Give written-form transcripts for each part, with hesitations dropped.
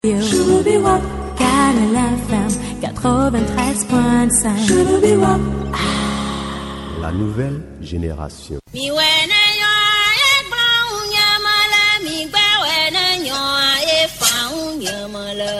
Canal FM 93.5. La nouvelle génération.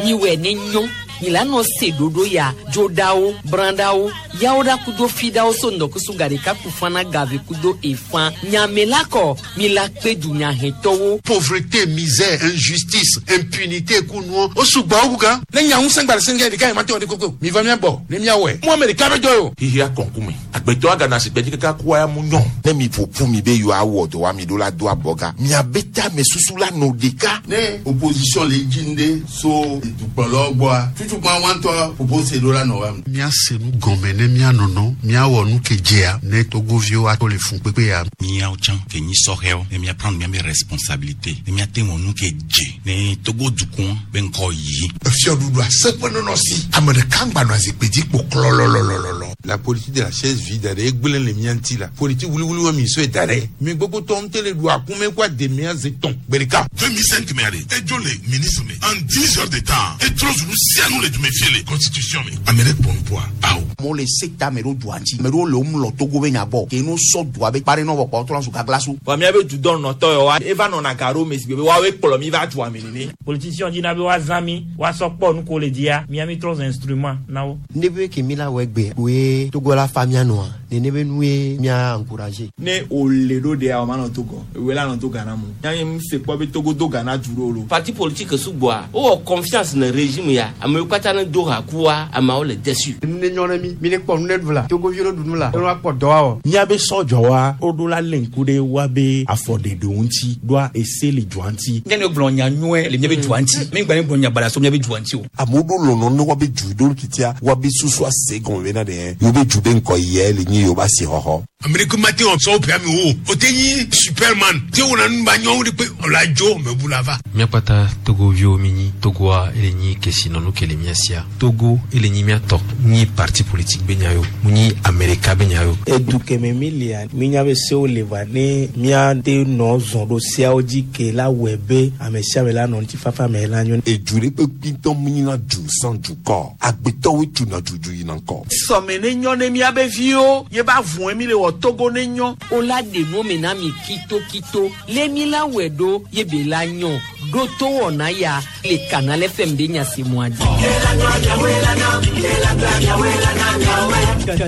Miwɛ ne nyɔ milano se ɖoɖo ya dzoɖawo brãɖawo yawoɖa kudo fiɖawo so ŋdɔkusu gaɖeka kufana gave kudo efã nyamela kɔ mila kpe dunyahɛtɔwo. Pauvreté, misère, injustice, impunité kunuɔ o sugbɔ o kukan. Ne nya ŋusẽ gba le sɛngɛ ɖeka yi ma te wɔ de koko mi va mia gbɔ ne mia wɔe mu ame ɖeka bɛ jɔ o. Xixia kɔnkume agbetɔ agana si gbɛdzi kaka kua ya mu nyɔ. Ne mi ƒo ƒu mi be yewoawɔ dɔ wa mi ɖo la do abɔga miabe tame susu la nɔ ɖeka. Ne opposition le dzi ŋɖe so dukplɔlawo gbɔa tutukpa wa ŋutɔ ƒoƒo se ɖo la nɔ wa. Míase nu gɔme ne míanɔnɔ míawɔ nu ke dzea ne togoviwo ato le fun kpekpe ya. Míawo tsã ke nyi sɔhɛwo ne míaprendre míabe responsabilité ne míate wɔ nu ke dze ne Togo dukɔ be ŋkɔ yi. Efiɔɖuɖu aseƒe nɔnɔ si ame ɖeka ŋgba nɔ zikpui dzi kpo klɔlɔlɔlɔlɔ. La politique de la chaise vide ɖe egblẽ le mía ŋuti la politique wuliwuli wa mi sɔe da ɖe mi gbogbo tɔ ŋutɛ le ɖu akume kó ademea ze tɔn gbe ɖeka. 2005 mɛ ale edzo le ministre me en 10 heures de temps etrɔ zu nu sia nu le dume fie le constitution me ame ɖe kpɔ nu bɔa awo. Amewo le se ta ame ɖewo dua ŋuti ame ɖewo le wo mlɔ Togo be nya gbɔ ke no sɔ dua be kpa ɖe nɔ vɔ kpɔ trɔ zu gaglasu. Vɔ míabe dudɔnɔtɔ yawoa eva nɔna ga ɖo me si be woawoe kplɔ mi va dua me nene. Politiciens dina be woazã mi woasɔ kpɔ nu ko le dzia mía mi trɔ zu instrument na wo. Ne be ke mi la wɔ egbe koe Togo la fa mía nɔa nene be nue mía encourager. Ne wòle ɖo ɖea o ma nɔ Togo ewoe la nɔ to Ghana mu míabe mu se kpɔ be Togo do Ghana du ɖo lo. Parti politique sugbɔa wowɔ confiance ne régime ya amewo katã ne do ha kua ameawo le déçu. Nu ne nyɔ ne mi mi ne kpɔ nu ne ɖu la Togoviwo ne ɖu nu la ne kpɔ dɔ awɔ. Míabe sɔdzɔwa woɖo la lé ŋku ɖe woabe afɔɖeɖewo ŋuti ɖoa ese le dua ŋuti. Ne ne gblɔ nya nyuie le míabe dua ŋuti mi gba ne gblɔ nya baɖa so míabe dua ŋuti o. Amewo ɖo lɔlɔ ne woabe du ɖo titia woabe susu ase gɔme bena ɖe yewo be du be ŋkɔ yia le nyi yewo be asixɔxɔ. Ame ɖe mate wɔ sɔwo ƒe ame wo o te nyi superman te wɔna nu ba nyɔnu ɖe kpe ɔla dzo mebu la va. Míakpata togoviwo mi nyi Togoa ele nyi kesinɔnu ke le mía sia Togo ele nyi míatɔ nyi parti politique be nya yo mu nyi Amerika be nya yo. Edu keme mi lia mi nya be sewo le va ne míate nɔ zɔn ɖo seawo dzi ke la wɔe be ame sia ame la nɔ ŋutifafa me la nyo. Edu ɖe kpekpe ŋutɔ mu nyina du sans dukɔ agbetɔwoe tuna dudu yina ŋkɔ. Sɔme ne nyɔ ne míabe viwo ye ba vɔe mi le wɔ Togo ne nyɔ. O la ɖe nu me na mi kitokito le mi la wɔe ɖo ye be la nyɔ ɖo to wɔna ya le Canal FM be nya si mua dzi.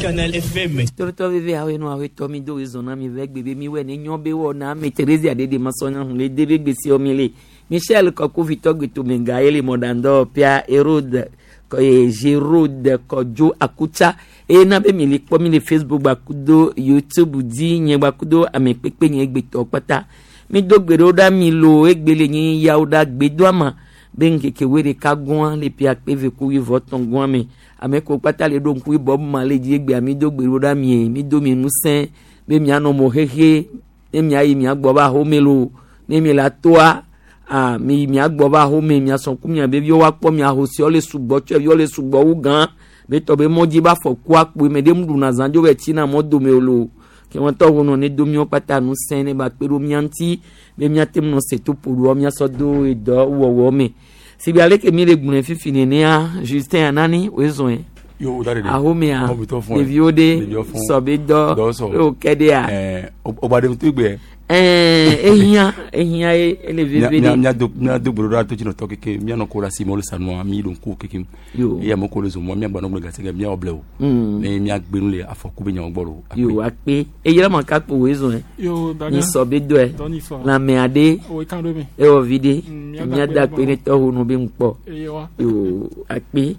Canal FM. Torotɔ veve awo enu awo etɔ mi do ezɔn na mi vɛ gbe be mi wɛ ne nyɔ be wɔ na ame Teresa ɖe de masɔ nya hun le de be gbesi wɔ mi le Michel Kɔkovitɔ gbetome ye le mɔɖandɔ pia Herode Gérode Kɔdzo Akutsa eye na be mi le kpɔ mi le Facebook gbakudo YouTube dzi nye gbakudo ame kpekpe nye gbetɔ kpata mi do gbe ɖewo ɖa mi lo egbe le nyi yawo ɖa gbedoama be ŋkeke woe ɖeka gɔa le pia kpe ve ku wuieve etɔ̃ gɔa me ame ko kpata le ɖo ŋku Bob Marley dzi egbea mi do gbe ɖewo ɖa mie mi do mi ŋusẽ be mianɔ mo xexe ne miayi miagbɔ va axome lo ne mi le atoa a mi miagbɔ va axome miasɔ ku mia be viwo woakpɔ mia ahosiwo le sugbɔ tsɔeviwo le sugbɔ wu gã be tɔ be mɔdzi ba fɔ ku akpoe me ɖe nuɖuna zã dzo be tsina mɔ dome o lo ke wɔn tɔ wo nɔ ne do miawo kpata ŋusẽ ne ba kpe ɖo mia ŋuti be miate ŋu nɔ se to ƒo ɖoa miasɔ do edɔ wɔwɔ me sigbe ale ke mi le gblɔe fifi nenea Justin Anani woe zɔe Yo, da de. ahomea ɖeviwo ɖe sɔ be dɔ wo ke ɖea. Ọba de tó gbẹ. Ɛɛ ehiã ehiã ye ele veve de. Mía do gbolo ɖa to dzinɔtɔ keke mía nɔ ko la si me wole sanua mi ɖo ŋku keke. Yo. Eye ame ko le zɔmɔ mía gbanɔ gblẽ gase mía wɔ ble o. Ne mía gbe nu le afɔku be nyawo gbɔ lo. Yo akpe eyira ma ka kpo woe zɔn. Yo, Daniel. Nyi sɔ be dɔe. Dɔnni fɔ. Lãme aɖe. O kan ɖo me. Ewɔ vi ɖe. Mía Mía da da akpe akpe ne tɔwo nu be ŋukpɔ. Eye wa. Yo akpe.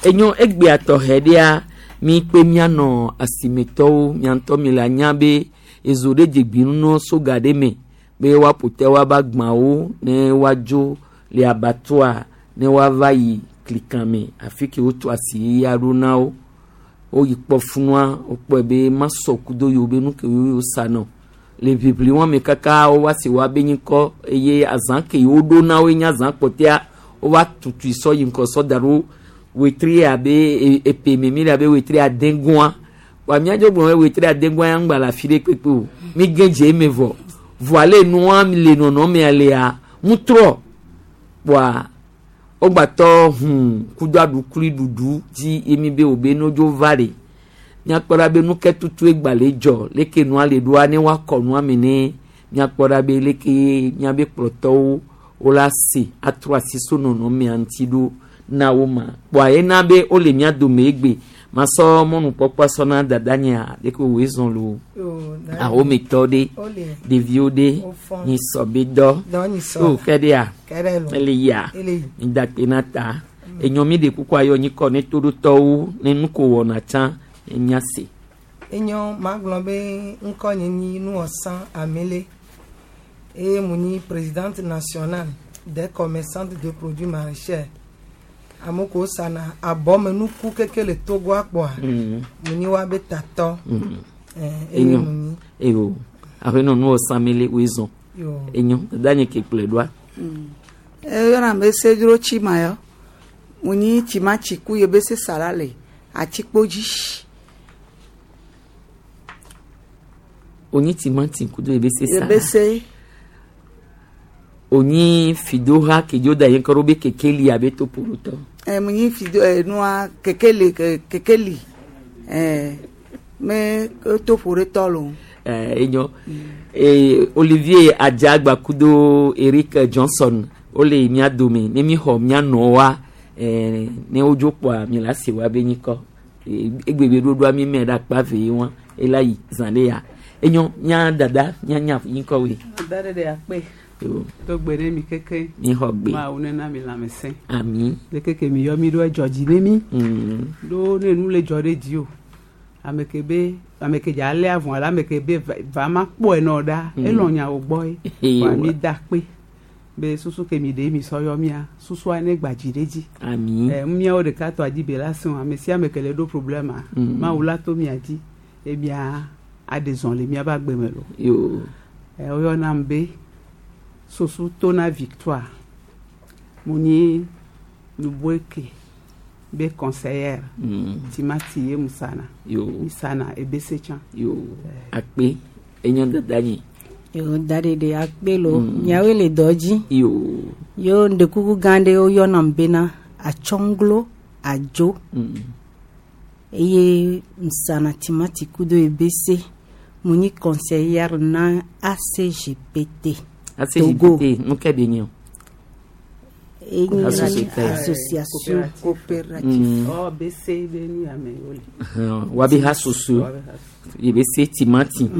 Enyo egbea tɔxɛ ɖea mi kpe mianɔ asimetɔwo miantɔ mi le anya be ezo ɖe dzegbinu soga ɖe me be woaƒo te woaba agbawo ne woadzo le abatoa ne woava yi klikame afi ke wotu asi ya ɖo na wo woyi kpɔ funua wokpɔe be masɔ kudo yiwo be nu ke wo sanɔ le ʋiʋli wɔn me kaka wova si woabe nyikɔ eye azã ke yiwo ɖo na woe nye azã kpɔtɛa wova tutui sɔ yi ŋkɔ sɔ da ɖo wetri abe epe me mi le abe wetri ade gɔa wa míadzo gblɔ be wetri ade gɔa ya ŋgba le afi ɖe kpekpe o mi ge dze eme vɔ vɔa le nua le nɔnɔmea lea ŋutrɔ kpoa Wogbatɔ hũn kudo aɖukli ɖuɖu dzi ye mi be wo be nodzo va le. Míakpɔ ɖa be nuke tutu egba le dzɔ leke nua le ɖoa ne woakɔ nua me ne míakpɔ ɖa be leke míabe kplɔtɔwo wola se atrɔ asi so nɔnɔmea ŋuti ɖo na wo ma. Kpoa ena be wole mía dome egbe masɔ mɔnukpɔkpɔ sɔ na dadanyea leke wòe zɔn lo ahometɔ ɖe ɖeviwo ɖe nyisɔ be dɔ o ke ɖea ele yia midakpe na ta enyɔ mi ɖe kuku ayɔ nyikɔ ne toɖotɔwo ne nu ko wɔna tsã ne míase. Enyo magblɔ be ŋkɔ nye nyi Nuwɔsã Amele eye mu nyi présidente nationale des commerçantes de produits maraîchers. Ame kewo sana abɔmenuku keke le Togo akpɔa, mu nyi woabe tatɔ. Eye Enyo mu nyi. eyo aƒenɔ Nuwɔsã Amele woe zɔn. Yo. Enyo dada nye ke kplɔe ɖoa. Eyɔna be sedro tsima yɔ. Mu nyi tsimati ku ye be se sala le atikpo dzi. Onyi timati kudo ebe se Ye sala. be se Onyi fidoha kedzo da yen kɔrɔ be kekeli abe toporotɔ. Mu nyi fido nua kekeli kekeli me toƒo ɖe tɔ lo. Enyo Olivier Adjagba kudo Eric Johnson wole mía dome ne mi xɔ mía nɔwoa ne wodzo kpɔa mi la se wa be nyikɔ egbegbe ɖoɖoa mi mɛ ɖe akpa ve ye wa ela yi zã ɖe ya enyo mía dada mía nya nyikɔ woe. Da ɖe ɖe akpe. Yo. To gbe ɖe mi keke. Mi xɔ gbe. Mawu nena mi lãmesẽ. Ami. Le keke mi yɔ mi ɖo edzɔ dzi ne mi. Ɖo ne nu le dzɔ ɖe dzi o. Ame ke be ame ke dza lé avɔ alo ame ke be va ma kpɔe nɔ ɖa. Elɔ̃ nyawo gbɔ ye. Eyi Wa wa. mi da akpe. Be susu ke mi ɖe mi sɔ yɔ mia susua ne gba dzi ɖe dzi. Ami. Míawo ɖeka tɔ adzi be la sẽo ame sia ame ke le ɖo problema. Mawu la to mia dzi ye mia aɖe zɔn le miabe agbe me lo. Yo. Woyɔnam be Sosu Tona Victoire. Mu nyi Nuboeke be conseillère. Timati ye mu sana. Yo. Mi sana ebese tsã. Yo. Akpe enyo dada nyi. Yo da ɖe ɖe akpe lo. Miawoe le dɔ dzi. Yo. Yo ŋdekuku gã ɖe woyɔnam bena Atsɔŋglo Adzo. Eye ŋsana timati kudo ebese. Mu nyi conseillère na ACGPT. ACGPT nu ke de nyi o. Enye Association. association coopérative. Ɔ bese be nu ya me wole. Wabe ha soso ye be se timati.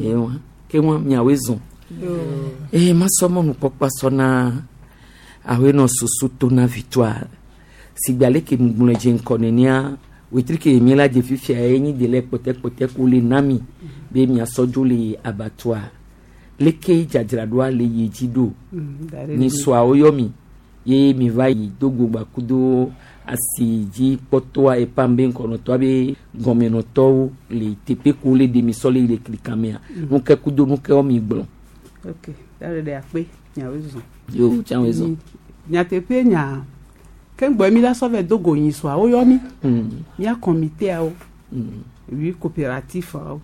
Ewa ke wa miawoe zɔn. Eye masɔ mɔnukpɔkpɔ sɔ na aƒenɔ Soso Tona Victoire sigbe ale ke ŋgblɔe dze ŋkɔ nenea wetri ke mi la dze fifia ye nyi de le kpɔtɛkpɔtɛ ko le na mi be miasɔ dzo le abatoa leke dzadzraɖoa le yi dzi ɖo Da ɖe ni ɖe. sɔawo yɔ mi ye mi va yi dogo gbakudo asi dzi kpɔtɔa epam be ŋkɔnɔtɔa be gɔmenɔtɔwo le teƒe ko le ɖe mi sɔ le yi le klikamea nuke kudo nuke wɔ mi gblɔ. Ok da ɖe ɖe akpe miawoe zɔn. Yo tsawoe zɔn. Nyateƒe nya ke ŋgbɔ mi la sɔ vɛ dogo nyi sɔa woyɔ mi. Mía kɔmiteawo. Ui coopératif awo.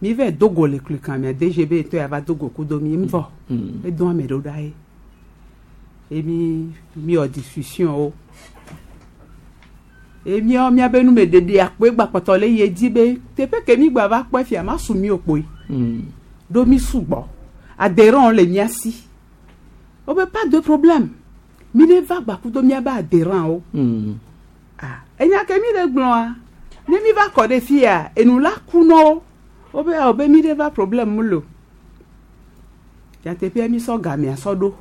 Mi vɛ dogo le klikamea DGB tɔ ya va dogo kudo mi ŋvɔ. Edo ame ɖewo ɖa ye. Ye mi mi wɔ discussion wo. Ye míawo míabe numeɖeɖe akpoe gbakpɔtɔ le yi edzi be teƒe ke mi gba va kpɔe fia ma su mi o kpoe. Ɖo mi sugbɔ. Adhérents le mía si. Wobe pas de problème. Mi ne va gbakudo míabe adhérents wo. Enya ke mi le gblɔa, ne mi va kɔ ɖe fia, enu la ku na wo. Wobe awɔ be mi ɖe va problème mu lo. Nyateƒea mi sɔ gamea sɔ ɖo.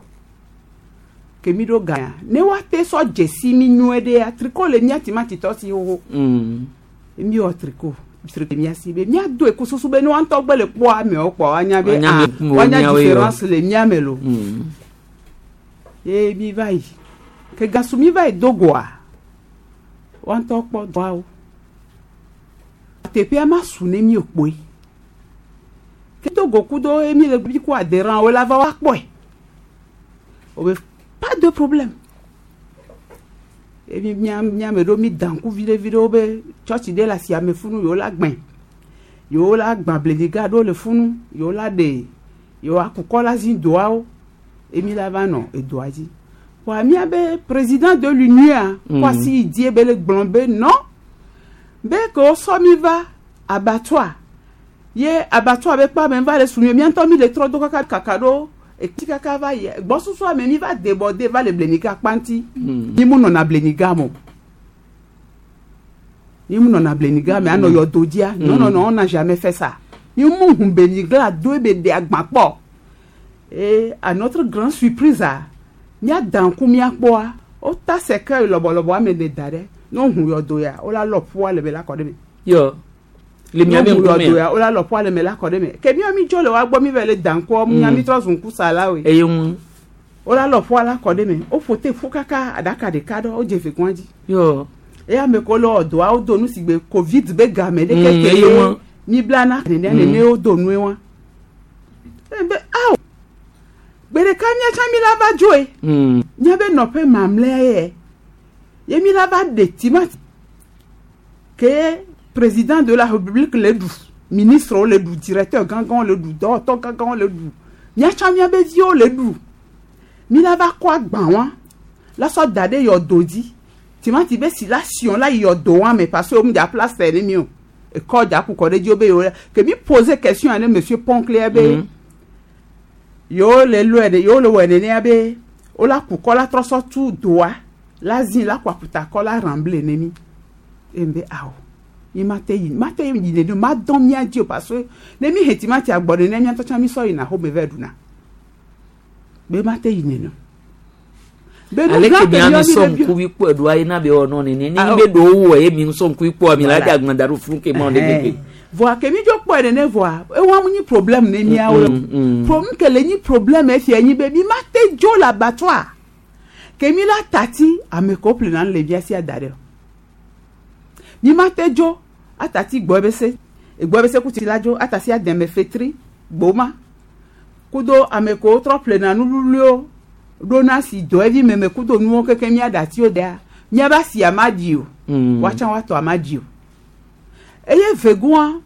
Ke mi ɖo gamea, ne woate sɔ dzesi mi nyuie ɖea, tricot le mía timatitɔ si xoxo. Mi wɔ tricot. Tricot mía si be míado eku susu be ne woa ŋutɔ gbe le kpɔ amewo kpɔ woanya be Woanya ah, be ŋkume woanya womiawoe yɔ. différence le mía me lo. Ye mi va yi. Ke gasu mi va yi dogoa, woa ŋutɔ kpɔ dɔawo. Teƒea ma su ne mi o kpoe. Ke dogo kudo ye mi le bi ku adhérents wo la va wa kpɔe. Wobe pas de problème. Ye mi mía mía me ɖewo mi da ŋku viɖe viɖewo be tsɔtsi ɖe le asiame funu yewo la gbẽ. Yewo la gbã blediga ɖewo le funu, yewo la ɖe yewo akukɔ la zi doawo. Ye mi la va nɔ edoa dzi. Wa míabe président de l'union Kwasi yi die be le gblɔ be non be ke wosɔ mi va abattoir ye abattoir be kpa me va le su mi mía ŋutɔ mi le trɔ do kaka kaka ɖo eti kaka va yi gbɔsusu me mi va débordé va le bleniga kpanti. Mi mu nɔna bleniga me o, mi mu nɔna bleniga me anɔ yɔdo dzia. Non, non, non, on n'a jamais fait ça. Mi mu hun bleniga do ebe de agba kpɔ. Et à notre grande surprise a míada ŋku míakpɔa wota cercueil lɔbɔlɔbɔ ame ne da ɖe ne wohu yɔdo ya wola lɔ ƒua le me la kɔ ɖe me. Yɔ le miabe Ne wohu ŋkume yɔdo ya wola lɔ ƒua le me la kɔ ɖe me ke míawo mi dzo le wa gbɔ mi va le da ŋkua mía mi trɔ zu ŋkusalawoe. Eye ŋu. Wola lɔ ƒua la kɔ ɖe me woƒo te ƒu kaka aɖaka ɖeka ɖe wodze ve gɔa dzi. Yɔ. Eye ame kewo le wɔ dɔa wodo nu si gbe covid be game ɖe keke eye ŋu. Mi blana nenea nene wodo nue wa. Ebe awo gbe ɖeka míatsã mi la va dzoe. Míabe nɔƒe mamlɛa ye ye mi la va ɖe timati ke président de la république le ɖu, ministre le ɖu, directeur gãgãwo le ɖu, dɔwɔtɔ gãgãwo le ɖu, míatsã míabe viwo le ɖu, mi la va kɔ agbã wa la sɔ da ɖe yɔdo dzi timati be si la siɔ la yi yɔdo wa me parce que wo mu dza place ne mi o ekɔ dza ku kɔ ɖe dzi wo be yewo ke mi pose question ne monsieur Ponclé be yewo le lɔe ɖe yewo le wɔe nenea be wola ku kɔ la trɔ sɔ tu doa la zi la kɔ aƒuta kɔ la remblai ne mi eye be awo mi ma te yi ma te yi nene ma dɔn mía dzi o parce que ne mi he timati agbɔ nene mía ŋutɔ tsã mi sɔ yina xome va ɖuna be ma te yi nene be nu ale gã ke ke mia mi míawo mi sɔ le bio- ŋkuvi kpɔ eɖoa ye na be wɔ nɔ nene ne Ah, be ɖewo wɔ ye mi sɔ ŋkuvi kpɔ mi la Voilà. dze agbã da ɖo funu ke mɔ ɖe keke. Voa ke mi dzo kpɔe nene voa ewa mu nyi problème ne míawo. Problème ke le nyi problème efia nyi be mi ma te dzo le abattoir ke mi la tati ame kewo ƒlena nu le mía si ada ɖe o mi ma te dzo atati gbɔ ebe se egbɔ ebe se kuti la dzo atasi ademe fetri gboma kudo ame kewo trɔ ƒlena nu luluiwo ɖona si dɔ evi meme kudo nuwo keke mía ɖatiwo dea míabe asia ma ɖi o. Woatsã woatɔ ama ɖi o eye vegoa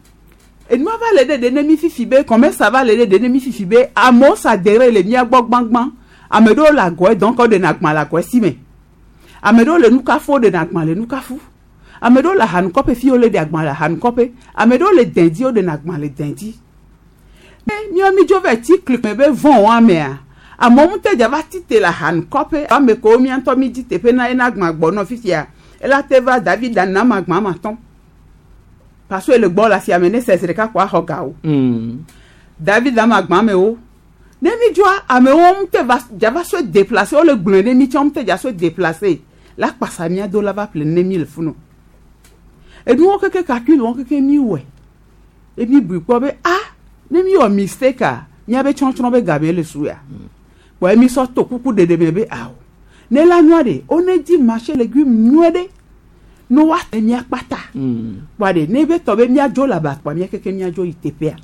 enua va le ɖeɖe ne mi fifi be commerce va le ɖeɖe ne mi fifi be amewo sa dere le mía gbɔ gbãgbã ame ɖewo le agɔe donc woɖena agbã le agɔe si me ame ɖewo le nukafu woɖena agbã le nukafu ame ɖewo le ahanukɔƒe fi wole ɖe agbã le ahanukɔƒe ame ɖewo le dɛ̃dzi woɖena agbã le dɛ̃dzi ne míawo mi dzo va ti kli me be vɔ̃ wa mea amewo ŋutɔ dza va ti te le ahanukɔƒe ame kewo mía ŋutɔ mi dzi teƒe na yena agbã gbɔ nɔ fifia ela te va David nam agbã ma tɔn parce que ele gbɔ le asia me ne sɛ zi ɖeka ko axɔ ga o. David ama agbã mewo ne mi dzoa amewo ŋutɔ va dza va so déplacer wole gblɔe ne mi tsã ŋutɔ dza so déplacer la kpasa mía do la va ƒle ne mi le funu enuwo keke calcul wɔn keke mi wɔe emi bui kpɔ be ah ne mi wɔ mistake a míabe tsɔtsrɔ̃ be game le su ya kpɔ emi sɔ to kuku ɖeɖe me be awo ne la nyua ɖe wo ne di marché légume nyuie ɖe ne woate mía kpata kpɔa ɖe ne be tɔ be míadzo le aba kpɔa mía keke míadzo yi teƒea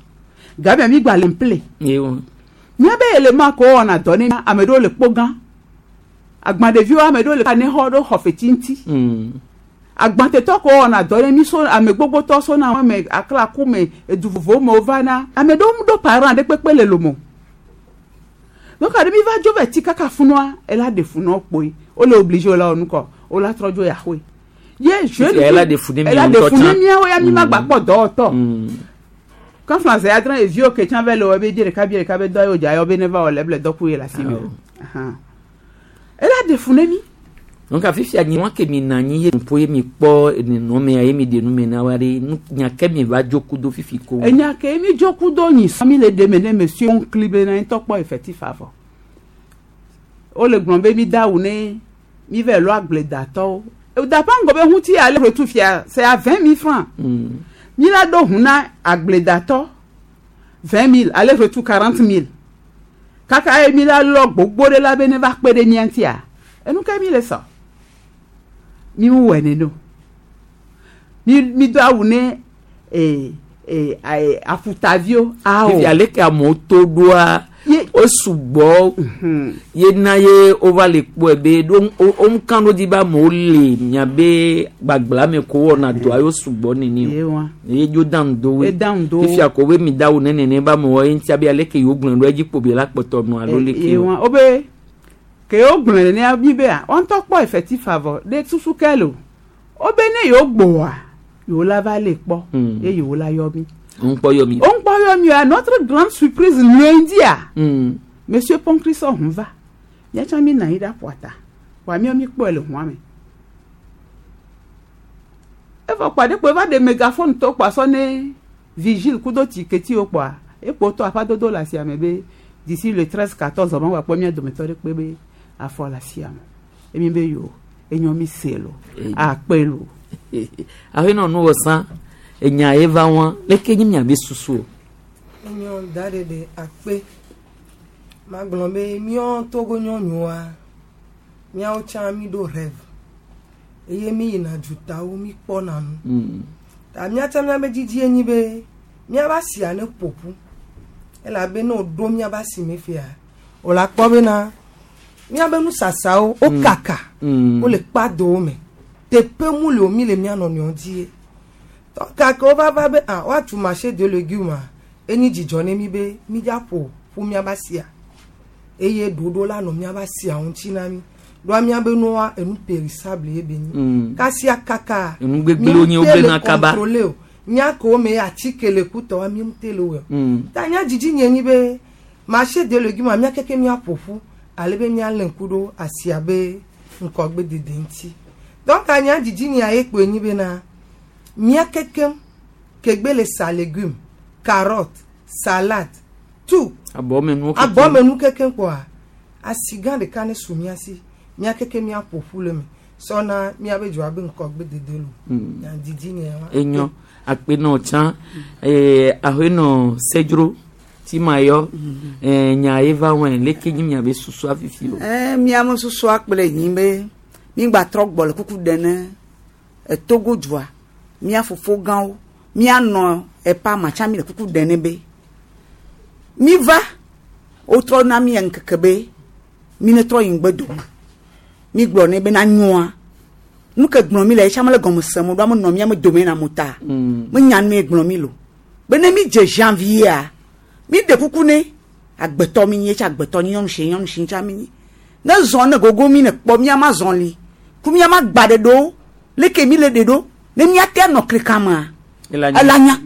game mi gba le ple míabe élément ko wɔna dɔ ne ame ɖewo le kpo gã agba ɖeviwo ame ɖewo le ne xɔ ɖo xɔ feti ŋuti agbatetɔ ko wɔna dɔ ne mi so ame gbogbotɔ so na ame aklaku me edu vovowo me wova na ame ɖewo ɖo parent ɖe kpekpe le lomo donc aɖe mi va dzo va ti kaka funua ela ɖe funua kpoe wole obligé wole wɔ nukɔ wola trɔ dzo yaxoe ye jeune Ela ɖe fu ne ela miawo ɖe fu ne ŋutɔ tsã. miawo ya mi ma gba kpɔ dɔwɔtɔ quand français adrɛ eviwo ke tsã va le wɔ be bie ɖeka bie ɖeka be dɔ ye wodza yɔ be ne va wɔ le eble dɔku ye le asi me Ahan. Ela ɖe fu ne mi. Donc afifia nyi wa ke mi na anyi ye ƒo ye mi kpɔ nenɔmea ye mi ɖe nu me na wa ɖe nu nya ke mi va dzo kudo fifi ko. Enya ke mi dzo kudo nyi sɔ mi le ɖe me ne monsieur onkli be na ŋutɔ kpɔ effectif avɔ wole gblɔm be mi da awu ne mi va lɔ agbledatɔwo dapa ŋgɔ be ŋuti ale retu fia c'est à 20 000 francs. Mi la ɖo ʋu na agbledatɔ 20 000 aller retour 40 000 kaka ye mi la lɔ gbogbo ɖe la be ne va kpe ɖe mía ŋutia enu ke mi le sɔ mi mu wɔe nene o mi mi do awu ne ee ee ayi afutaviwo awo. Fifi ale ke amewo to ɖoa wo sugbɔ ye na ye wova le kpɔe be ɖo wo ŋka ɖo dzi be amewo le miabe gbagbla me ko wɔna dɔa ye wo sugbɔ nene Ye o wa. ye dzo da ŋdo E da ŋdo wo. fifia ko be mi da wo ne nene be amewo ye ŋutia be ale ke yewo gblɔe ɖo edzi kpo be la kpɔtɔ nɔ alo le ye ke wa wo be Ke wogblɔe nenea mi bea woa ŋutɔ kpɔ effectif vɔ ɖe susu ke le o. Wobe ne yewo gbɔa, yewo la va lée kpɔ ye yewo la yɔ mi. Wo ŋkpɔ yɔ mi. Wo ŋkpɔ yɔ mi o. À notre grande surprise, lundia, Monsieur Poncrisson hun va. Míatsã mi nɔ anyi ɖe aƒua ta. Vɔa míawo mi kpɔe le hũa me. Evɔ kpɔa ɖekpo eva ɖe megaphone tɔ kpɔa sɔ ne vigile kudo tiketiwo kpɔa, ekpo tɔ aƒadodo le asia me be d'ici le 13 14 ma woakpɔ mía dometɔ ɖe kpe be afɔ le asia me. Emi be yo, enyɔ mi se lo, akpe lo. Ahenɔ nu wɔ sã, enya ye va wa, leke nyi miabe susu o? Enyɔ da ɖe ɖe akpe. Magblɔ be míawo Togo nyɔnuwoa, míawo tsã mi ɖo rêve. Eye mi yina dutawo mi kpɔna nu. Ta míatsã míabe dzidzi enyi be míava asia ne ƒo ƒu. Elabe ne woɖo míabe asi me fia, wòle akpɔ bena míabe nusasawo wo kaka, wole kpadowo me. Teƒe mu le o mi le mía nɔnɔewo die. Tɔ gake wova va be ah woatu marché de légumes enyi dzidzɔ ne mi be mi dza ƒo ƒu míabe asia. Eye ɖoɖo la nɔ míabe asia ŋuti na mi. Ɖoa míabe nua enu périssable ye be nyi. Kasia kaka. Enu gbegblẽwo nye wogblẽna kaba. Contrôler o. Nya kewo me atike le kutɔwoa mi ŋute le wɔe o. Ta nya dzidzi nye nyi be marché de légumes mía keke míaƒo ƒu ale be míalé ŋku ɖo asia be ŋkɔgbe dede ŋuti. Donc nya dzidzi nyea ye kpoe nyi bena mía kekem kegbe le sa légumes, carotte, salade, tout. Abɔmenuwo kekem. Abɔmenu kekem kpɔa asi gã ɖeka ne su mía si. Mía keke míaƒo ƒu le me. Sɔna míabe dzoa be ŋkɔgbe dede lo. Nya dzidzi nye wa. Enyo akpe nɔ tsã ahenɔ sedzro ti ma yɔ nya ye va wɔe leke nyi miabe susua fifi o. Miame susua kple nyi be mi gba trɔ gbɔ le kuku ɖe ne Togo dua mía fofo gãwo míanɔ epa matsa mi le kuku ɖe ne be mi va wotrɔ na mi ŋkeke be mi ne trɔ yi ŋgbe dome mi gblɔ ne be na nyoa nu ke gblɔ mi le etsa mele gɔme sem o ɖo ame nɔ mía me dome na mo ta menya nu ye gblɔ mi lo be ne mi dze janvier mi ɖe kuku ne agbetɔ mi nyi etsa agbetɔ nyi nyɔnu si nyɔnu si tsa mi nyi ne zɔ ne gogo mi ne kpɔ mía ma zɔ li ku mía ma gba ɖe ɖo leke mi le ɖe ɖo ne mía te nɔ klikamea ela nya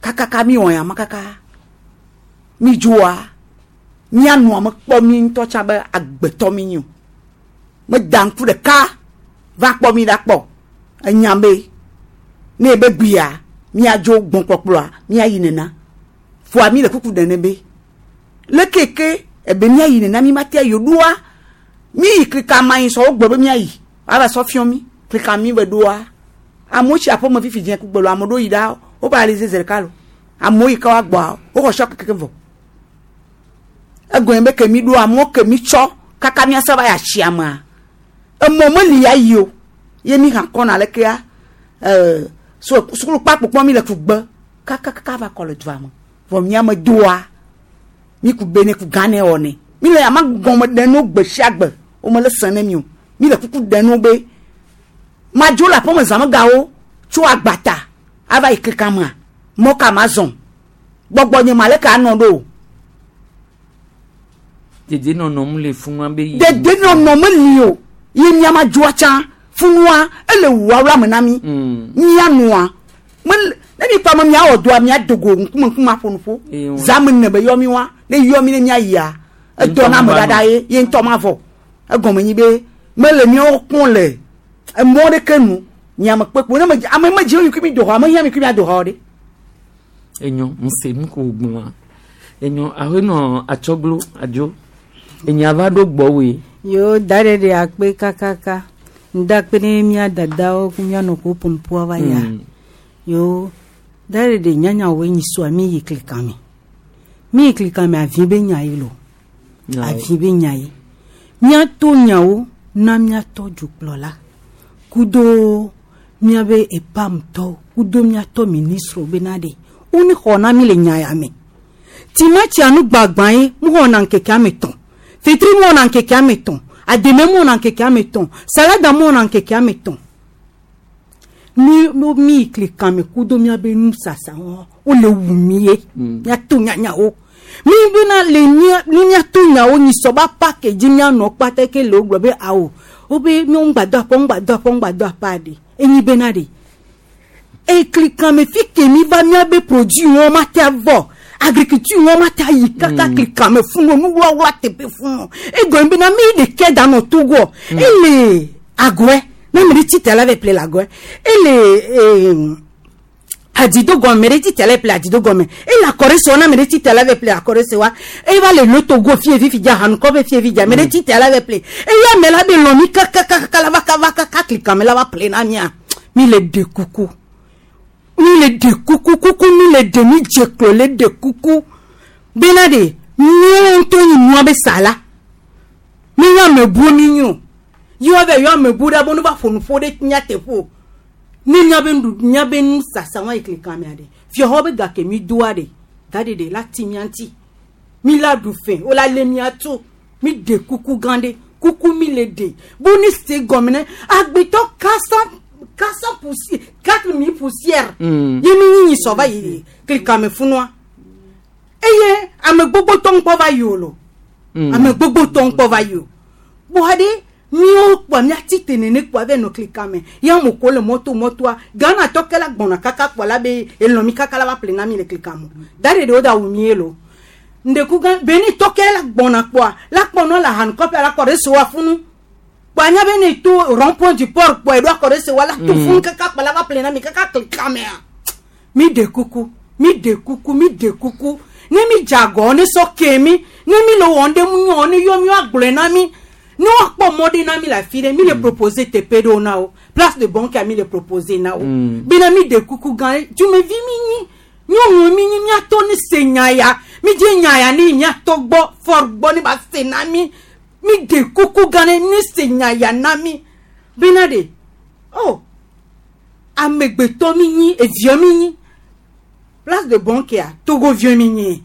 kakaka mi wɔ ya ma kaka mi dzoa mía nɔa me kpɔ mi ŋutɔ tsa be agbetɔ mi nyi o me da ŋku ɖeka va kpɔ mi ɖa kpɔ enya be ne be gbia míadzo gbɔkpɔkplɔa míayi nena foa mi le kuku ɖe ne be le keke ebe míayi nena mi ma te ayi o ɖoa mi yi klika ma yi sɔ wo gblɔ be míayi ava sɔ fiɔ mi klika mi be ɖoa amewo tsi aƒeme fifi dze kugbe lo amewo ɖo yi ɖa wo ba ali zeze ɖeka lo amewo yi ke wa gbɔa woxɔ sɔ keke vɔ egɔme be ke mi ɖo amewo ke mi tsɔ kaka míase va yi atsia mea emɔ meli ya yi o ye mi hã kɔna lekea sukulu kpakpokpɔ mi le kugbe kakakaka va kɔ le dua me vɔ míame doa mi ku be ne ku gã ne wɔ ne mi le ama gɔme ɖe no gbe sia gbe wo me le sẽ ne mi o mi le kuku ɖe no be madzo le aƒeme zãmegawo tso agbata ava yi keka mea mɔ ka ma zɔn gbɔgbɔ nye ma leke anɔ ɖo o. Dedenɔnɔ mu le funua be yi. Dedenɔnɔ meli o ye miama dzoa tsã funua ele wuawla me na mi. Mianua mele ne mi kpɔ ame miawɔ dɔa miado go ŋkume ŋkume aƒo nuƒo. Zame ne be yɔ mi wa ne yɔ mi ne miayia edɔ na ame ɖaɖa ye ye ŋutɔ ma vɔ egɔme nyi be mele miawo kpɔm le emɔ ɖeke nu miame kpekpe ne me ame me dzi mi kui mi do xɔ ame hiã mi kui mi ado xɔ ɖe. Enyo ŋse nu ko gblɔa enyo ahenɔ atsɔglo adzo enya va ɖo gbɔwoe. Yo da ɖe ɖe akpe kakaka ŋda kpe ne mía dadawo ku mía nɔ ko pompoa va ya. Yo da ɖe ɖe nyanya wo nyi soa mi yi klikame mi yi klikame avi be nya yi lo avi be nya yi míato nyawo na míatɔ dzokplɔla kudo míabe epamtɔwo kudo míatɔ ministre bena ɖe woni xɔ na mi le nya ya me timatia nu gbagbã ye mu xɔna ŋkeke ame tɔn fetri mu xɔna ŋkeke ame tɔn ademe mu xɔna ŋkeke ame tɔn salada mu xɔna ŋkeke ame tɔn mi mi yi klikame kudo míabe nusasa wo wole wu mi ye míato nyanyawo Mi bena le mía ni míato nyawo nyi sɔba pake dzi míanɔ kpata ke le wogblɔ be awo wobe míawo ŋgba do aƒe ŋgba do aƒe ŋgba do aƒea ɖe enyi bena ɖe eklikame fi ke mi va míabe produit wɔn ma te avɔ agriculture wɔn ma te ayi kaka klikame funu nuwlawla teƒe funu egɔme bena mi ɖeke da nɔ Togo ele agɔe ne ame ɖe tsi te la va ƒle le agɔe ele ee adzidogɔme ɖe tsi te la ƒle adzidogɔme ele akɔɖe na ame ɖe tsi te la va ƒle akɔɖe se wa eva le le Togo fie fifi dza hanukɔ be fie fi dza ame ɖe tsi te la va ƒle eye ame la be lɔ mi kakakaka la va kava kaka klikame la va ƒle na mia mi le ɖe kuku mi le ɖe kuku kuku mi le ɖe mi dze klo le ɖe kuku bena ɖe míawo ŋutɔ nyi nua be sa la mi nye amebuwo mi nyo yi wa be yɔ amebu ɖe be ne va ƒo nu ƒo ɖe nyateƒe o ne míabe nu míabe nu sasa wa yi klikame ɖe fiaxɔ be gake mi doa ɖe gaɖeɖe la ti mía ŋuti mi la ɖu fɛ wo la lé mía tu mi ɖe kuku gã ɖe kuku mi le ɖe bo ne se gɔme ne agbetɔ 400 poussière 4000 poussière ye mi nyi sɔ va yi klikame funua eye ame gbogbo tɔ ŋkpɔ va yi o lo ame gbogbo tɔ ŋkpɔ va yi o bɔn ɖe míawo kpɔ míati te nene kpɔ ave nɔ klikame ya mo ko le mɔto mɔtoa Ghana tɔ ke la gbɔna kaka kpɔ la be elɔn mi kaka la va ƒle na mi le klikame da ɖe ɖewo da wu mi ye lo ndeku gã beni tɔ ke la gbɔna kpɔa la kpɔnɔ la hanukɔƒe la kɔ ɖe so wa funu kpɔ anya be ne to rond point du port kpɔ eɖo akɔ ɖe se wa la to funu kaka kpɔ la va ƒle na mi kaka klikamea mi ɖe kuku mi ɖe kuku mi ɖe kuku ne mi dze agɔ ne sɔ ke mi ne mi le wɔm ɖe mu nyɔ ne yɔ mi agblɔe na mi ne woakpɔ mɔ ɖe na mi le afi ɖe mi le proposer teƒe ɖewo na wo place de banque mi le proposer na wo bena mi ɖe kuku gã ɖe dumevi mi nyi nyɔnu mi nyi miatɔ ne se nya ya mi dze nya ya ne miatɔ gbɔ fɔr gbɔ ne ba se na mi mi ɖe kuku gã ɖe ne se nya ya na mi bena ɖe oh amegbetɔ mi nyi eviɔ mi nyi place de banque ya Togo viɔ mi nyi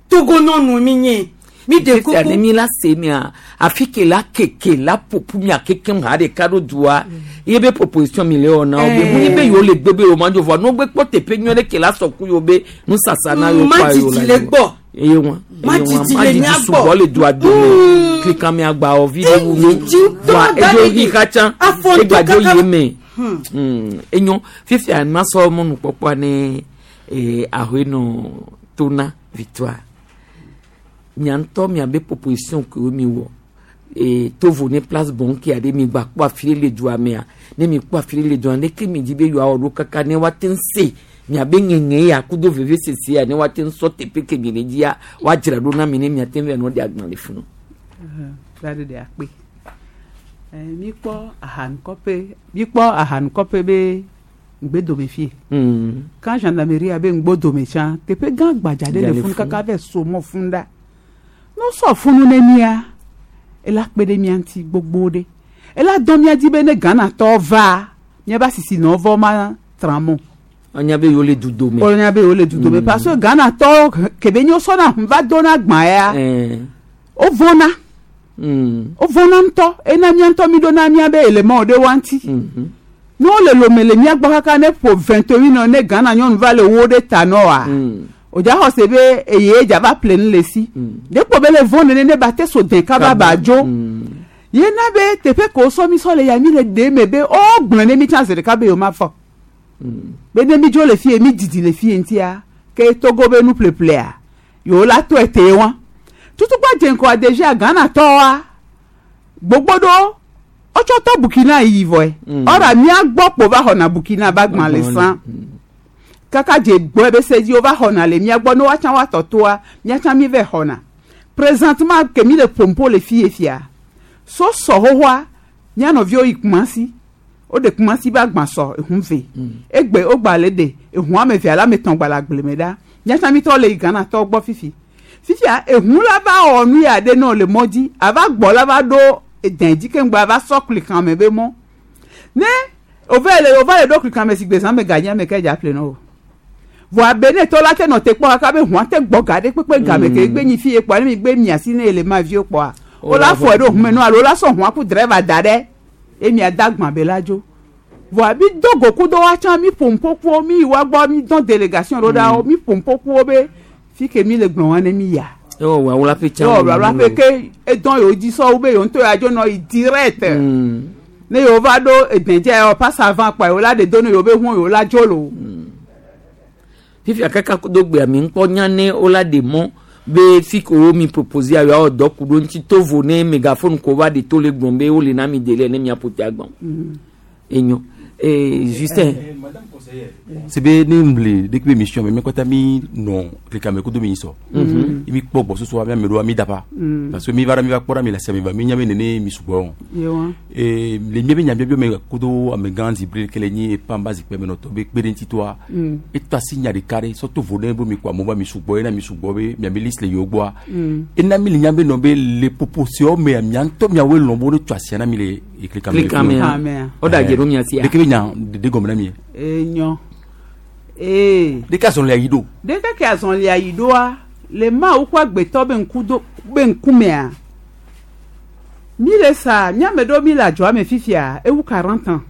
Togo nyɔnu mi nyi mi ɖe Fifia ne kuku mi la se mia afi ke la keke la ƒoƒu mia kekem ha ɖeka ɖo dua ye be proposition mi le wɔ na wo be mu nyi be yewo le gbe be yewo ma dzo vɔa ne wo gbe kpɔ teƒe nyuie ɖe ke la sɔ ku yewo be nusasa na yewo kpɔa yewo Madidi la le yewo. gbɔ. Eye wa eye wa Madidi le madidi mía sugbɔ gbɔ. le dua dome klikame agbawo vi ɖe wu nu vɔa edzo yi katã egbadzo yi eme. Enyo fifia masɔ mɔnukpɔkpɔa ne ahoenɔ tona Victoire mia ŋutɔ miabe proposition kewo mi wɔ tovo ne place bonke aɖe mi gba kpɔ afi ɖe le dua mea ne mi kpɔ afi ɖe le dua leke mi di be yewoawɔ ɖo kaka ne woate ŋu se miabe ŋeŋe ya kudo veve sese ya ne woate ŋu sɔ teƒe ke mi le dzia woadzra ɖo na mi ne miate ŋu va nɔ ɖe agbalẽ funu. Gbaɖe ɖe akpe. Míkpɔ ahanukɔƒe míkpɔ ahanukɔƒe be ŋgbedome fie. Quand gendarmerie be ŋgbodome tsã teƒe gã gbadza ɖe le Dza le funu funu. Kaka va so mɔ funu ɖa. Ne wosɔ funu ne mía ela kpe ɖe mía ŋuti gbogbo ɖe. Ela dɔn mía dzi be ne Ghanatɔwo va míabe asisinɔwo vɔ ma tramɔ. Anya be yewo le dudome. Wònya be yewo le dudome parce que Ghanatɔwo kebe nye wosɔna hũn va dona gbã ya wovɔna wovɔna ŋutɔ ena mía ŋutɔ mi ɖona míabe élément ɖe wa ŋuti. Ne wole lome le mía gbɔ kaka ne ƒo 21 ne Ghana nyɔnu va le wo ɖe ta nɔ wa o dza xɔ se be eye dza va ƒle nu le si ɖe kpɔ be le vɔ nene ne ba te so dɛn kaba ba dzo ye na be teƒe ke wosɔ mi sɔ le ya mi le ɖe me be o gblɔ ne mi tsã zi ɖeka be yewo ma fɔ be ne mi dzo le fie mi didi le fie ŋutia ke Togo be nuƒleƒlea yewo la to ete wa tutukpa dze ŋkɔa déjà Ghana tɔwoa gbogbo ɖewo wotsɔ tɔ Burkina yi vɔe ɔra mía gbɔ kpo va xɔna Burkina ba gbã le sã kaka dze gbɔ be se dzi wova xɔna le mía gbɔ ne woatsã woatɔ toa míatsã mi vɛ xɔna présentement ke mi le ƒompo le fie fia so sɔ xoxoa mía nɔviwo yi Kumasi woɖe Kumasi be agbã sɔ ehun ve egbe wogba le ɖe ehun ame eve alo ame etɔ̃ gba le agble me ɖa míatsã mi tɔ le yi Ghana tɔwo gbɔ fifi fifia ehun la va wɔ nu ya ɖe ne le mɔ dzi ava gbɔ la va ɖo edɛn dzi keŋgba ava sɔ klikame be mɔ ne ove le ova le ɖo klikame si gbe zã me ganye ame ke dza ƒle na o vɔa be ne tɔ la te nɔ te kpɔ kaka be hũa te gbɔ ga ɖe kpekpe game ke gbe nyi fie kpɔa ne mi gbe mia si ne ele ma viwo kpɔa wola fɔ ɖo hume nu alo wola sɔ hũa ku driver da ɖe eye mia da gbã be la dzo vɔa mi do go ku do wa tsã mi ƒo ŋƒoƒo mi yi wa gbɔ mi dɔn délégation ɖo ɖa wo mi ƒo ŋƒoƒo be Fi ke mi le gblɔ wa ne mi ya. Ewɔ wawla ƒe tsã. Ewɔ wawla ƒe ke edɔn yewo dzi sɔwo be yewo ŋutɔ ya dzo nɔ yi direct. Ne yewo va ɖo edɛdze yewo passe avant kpa yewo la ɖe do ne yewo be hu yewo la dzo lo. Fifia kaka do gbea mi ŋkpɔ nya ne wola ɖe mɔ be fi ke wo mi propose ya yewoawɔ dɔ ku ɖo ŋuti to vo ne megaphone ko va ɖe to le gblɔm be wole na mi délai ne miaƒo te agbɔn. Enyo. Eh, Justin. Sebe ne ŋle ɖe kpe mission me mi kɔta mi nɔ klikame kudo mi sɔ. Mi kpɔ gbɔsɔsɔ mi ame ɖewoa mi daba. Parce que mi va ɖa mi va kpɔ ɖa mi le asia mi va mi nya be nene mi sugbɔ. Yewa. Ee le mi be nya biabia me kudo amegã zibri ke le nyi pamba zikpɛ me nɔtɔ be kpe ɖe ŋuti toa. Etɔ asi nya ɖeka ɖe sɔ to vo ɖe be mi kɔ amewo va mi sugbɔ ena mi sugbɔ be miabe liste le yewo gbɔa. Ena mi le nya be nɔ be le proposition mea mia ŋutɔ miawoe lɔ̃ be wo ne tso asia na mi le klikame. Klikamea. Wo ɖe adze ɖo mia sia. Ɖeke be nya ɖe gɔme na mi. Enyo. Ee. Ɖeke azɔlia yi ɖo. Ɖeke ke azɔlia yi ɖoa le Mawu ƒe agbetɔ be ŋku do be ŋkumea. Mi le sa miame ɖewo mi le adzɔa me fifia ewu 40 ans.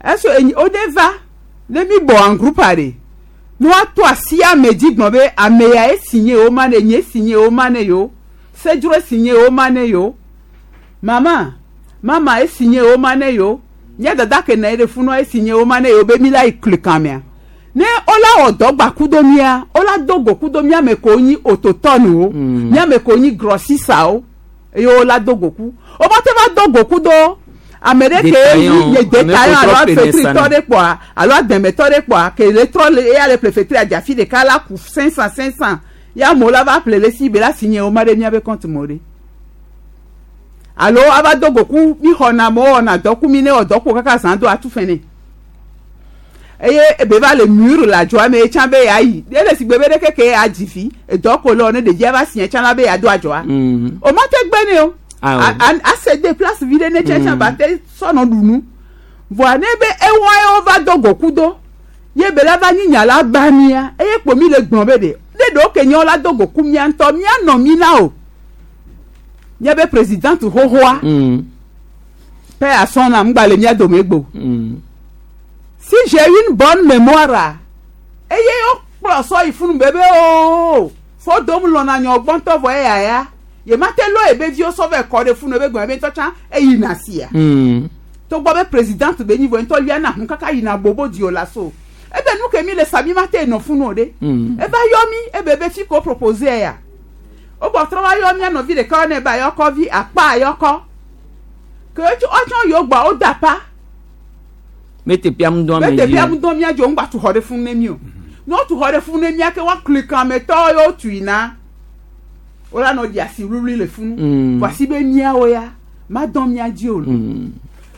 Eso enyi wo ne va ne mi bɔ en groupe aɖe ne woato asi ame dzi gblɔ be ame ya esi nye yewo ma ne nye esi nye yewo ma ne yewo sedzro esi nye yewo ma ne yewo mama mama esi nye yewo ma ne yewo mía dada ke nɔ anyi ɖe funua esi nye yewo ma ne yewo be mi la yi kli kamea ne wola wɔ dɔ gba kudo mía wola do go kudo mía me ko nyi ototɔnuwo mía me ko nyi grɔsisawo eye wola do go ku womate va do go kudo ame ɖe ke yi détaillant alo afetritɔ ɖe kpɔa alo adɛmɛtɔ ɖe kpɔa ke le trɔ le eya le ƒle fetri adzafi ɖeka la ku 500 500 ya amewo la va ƒle le si be la si nye wo ma ɖe míabe compte me o ɖe alo ava do go ku mi xɔna amewo wɔna dɔ ku mi ne wɔ dɔ ku kaka zã do atu fɛ nɛ eye ebe va le mur le adzɔa me etsã be yeayi ele si gbe be ɖeke ke adzi fi edɔ ko le wɔ ne ɖevia va si etsã la be yeado adzɔa o ma te gbe ne o ase de place vi ɖe ne tsã tsã ba te sɔnɔ ɖunu voa ne be ewa ye wova do go ku do ye be la va nyi nya la ba mia eye kpo mi le gblɔ be ɖe ne ɖewo ke nye la do go ku mia ŋutɔ mia nɔ mi na o míabe présidente xoxoa paix à son âme ŋgba le mia dome gbo si j'ai une bonne mémoire eye wokplɔ sɔ yi funu be be ooo fo dom lɔna nyɔ gbɔntɔ vɔ eya ya ye ma te lɔ ebe viwo sɔ vɛ kɔ ɖe funu ebe gbɔn ebe ŋutɔ tsã eyina sia togbɔ be présidente be nyi vɔ ŋutɔ liana hun kaka yina bobo di o la so ebe nu ke mi le sa mi ma te nɔ funu o ɖe eva yɔ mi ebe be fi ko propose ya wogbɔ trɔ va yɔ mia nɔvi ɖeka ne ba yɔkɔ vi akpa yɔkɔ ke etsɔ yiwo gbɔ wo da pa Mete pia mu dɔn ame mete dzi. pia mu dɔn mia dzo ŋgba tu xɔ ɖe funu ne mi o ne wotu xɔ ɖe funu ne mia ke woakli kametɔ yewo tui na wola nɔ di asi wluwlui le funu voasi be miawo ya ma dɔn mia dzi o.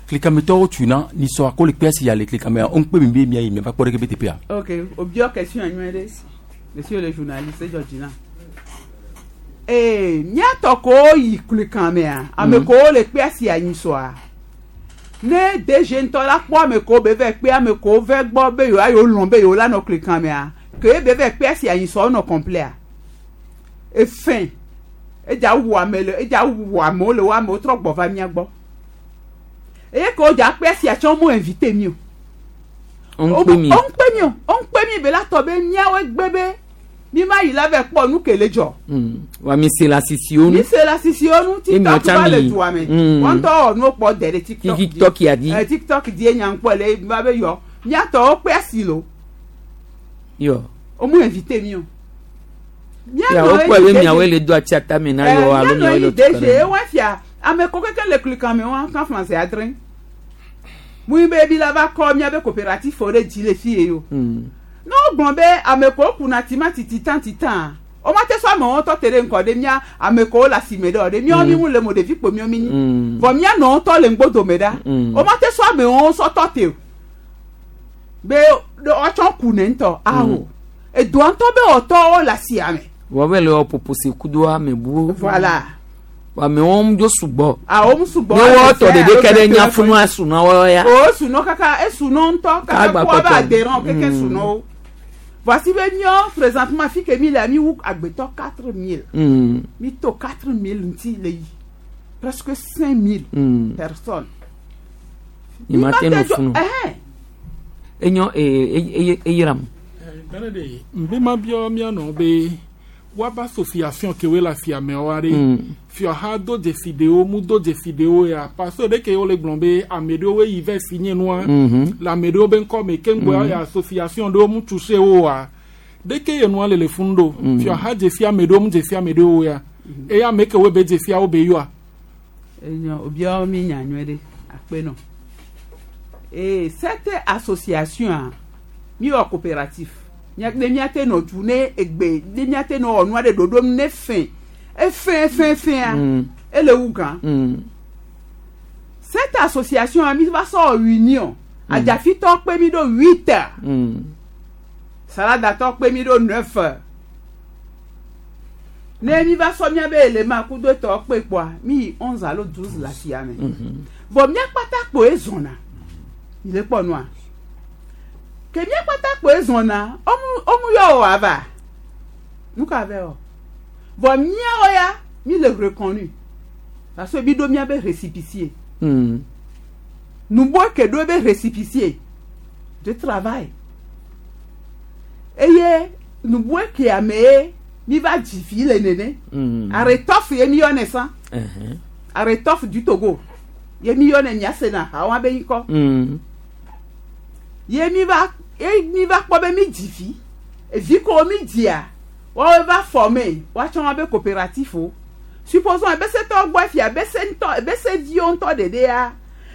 Klikametɔwo tui na nisɔ akɔ le kpe asi ya le klikamea wo ŋkpe mi be mia yi mia va kpɔ ɖeke be teƒea. Ok, obiɔ question nyuie ɖe monsieur le journaliste edzɔ dzi na. Ee miatɔ ko yi klikamea ame ko le kpe asi anyi sɔa ne DG ŋutɔ la kpɔ ame ko be vɛ kpe ame ko vɛ gbɔ be yewo ayo lɔn be yewo la nɔ klikamea ke be vɛ kpe asi anyi sɔ nɔ complet efɛn edza wu ame le edza wu amewo le wo amewo trɔ gbɔ va mia gbɔ eye ke wodza kpe asi atsɔ mo invité mi o. O ŋkpe mi. O ŋkpe mi o o ŋkpe mi be la tɔ be miawo gbe be mi ma yi la vɛ kpɔ nu ke le dzɔ. Wa mi se la sisiwo nu. Mi se la sisiwo nu Emi TikTok va le mi. dua me. Wɔn ŋutɔ wɔ nuwo kpɔ de ɖe TikTok dzi. TikTok ya di. TikTok di enya ŋkpɔ le va be yɔ miatɔwo kpe asi lo Yɔ. o mu invité mi o. Ya wo kpɔ be miawoe le do atsi ata me na yɔ alo miawoe le mianɔ yi DG tu ewa fia ame ko keke le klikame wa kan français adre mu yi be ebi la va kɔ miabe coopérative ɖe dzi le fi ye o. Ne wogblɔ be ame ko kuna timati titan titan o ma te sɔ amewo tɔ te ɖe ŋkɔ ɖe mía ame ko le asime ɖe o ɖe míawo mi ŋu le mo ɖevi kpo míawo mi nyi vɔ mía nɔwo tɔ le ŋgbodome ɖa o ma te sɔ amewo sɔ tɔ te o be woatsɔ ku ne ŋutɔ awo edoa ŋutɔ be wɔtɔwo le asia me. Wọ́n bɛ le wɔ popose kudo ame bu. Voilà. Amewo ŋu dzo sugbɔ. Awo ŋu sugbɔ. Ne wɔ tɔ ɖeɖe ke ɖe nya funu asu na wɔ ya. O sunɔ kaka esunɔ ŋutɔ kaka K'agba kó aba kpɔtɔ. adhérent keke sunɔ wo. Voici be míɔ présentement fi ke mi le mi wu agbetɔ 4000. Mi to 4000 ŋuti le yi presque 5000 personnes. Ni ma te nɔ funu. Ɛhɛn. Enyo ee eyram. Nane ɖe nbe ma biɔ mianɔ be woaba association kewoe le afiamewoa ɖe fiɔha do dzesi ɖewo mu do dzesi ɖewo ya parce que ɖeke wole gblɔ be ame ɖewo yi va signé nua le ame ɖewo be ŋkɔ me ke ŋgbɔ ya association ɖewo mu touché wo oa ɖeke ye nua le le funu ɖo fiɔha dzesi ame ɖewo mu dzesi ame ɖewo ya eye ame kewoe be dzesia wo be yɔa. Enyo obiawo mi nya nyuie ɖe akpe nɔ. Ee cette association a mi wɔ coopératif. Mia ne miate nɔ du ne egbe ne miate nɔ wɔ nua ɖe ɖoɖom ne fɛn efɛn fɛn fɛn ele wu gã. Cette association a mi va sɔ union. Adzafitɔ kpe mi ɖo 8 heures. Saladatɔ kpe mi ɖo 9 heures. Ne mi va sɔ mia be élément kudo etɔ kpe kpɔa mi yi 11 alo 12 le asia me. Vɔ mia kpata kpoe zɔna. Mi le kpɔ nua. Ke mia kpata kpoe zɔna ɔmu ɔmu yɔ o ava. Nu ka vɛ o. Vɔ miawo ya mi le reconnu. Parce que mi ɖo mia be récépissé. Nubo ke ɖo be récépissé de travail. Eye nubo ke ame ye mi va dzi vi le nene. Aretɔf ye mi yɔnɛ sã. Aretɔf du Togo. Ye mi yɔnɛ miasena hawa be ŋkɔ. Ye mi va ye mi va kpɔ be mi dzi vi. Evi ko mi dzia, woawoe va former woatsɔ wa be coopératif o. Supposons ebesetɔwo gbɔ fia ebese ŋutɔ ebese viwo ŋutɔ ɖeɖe ya.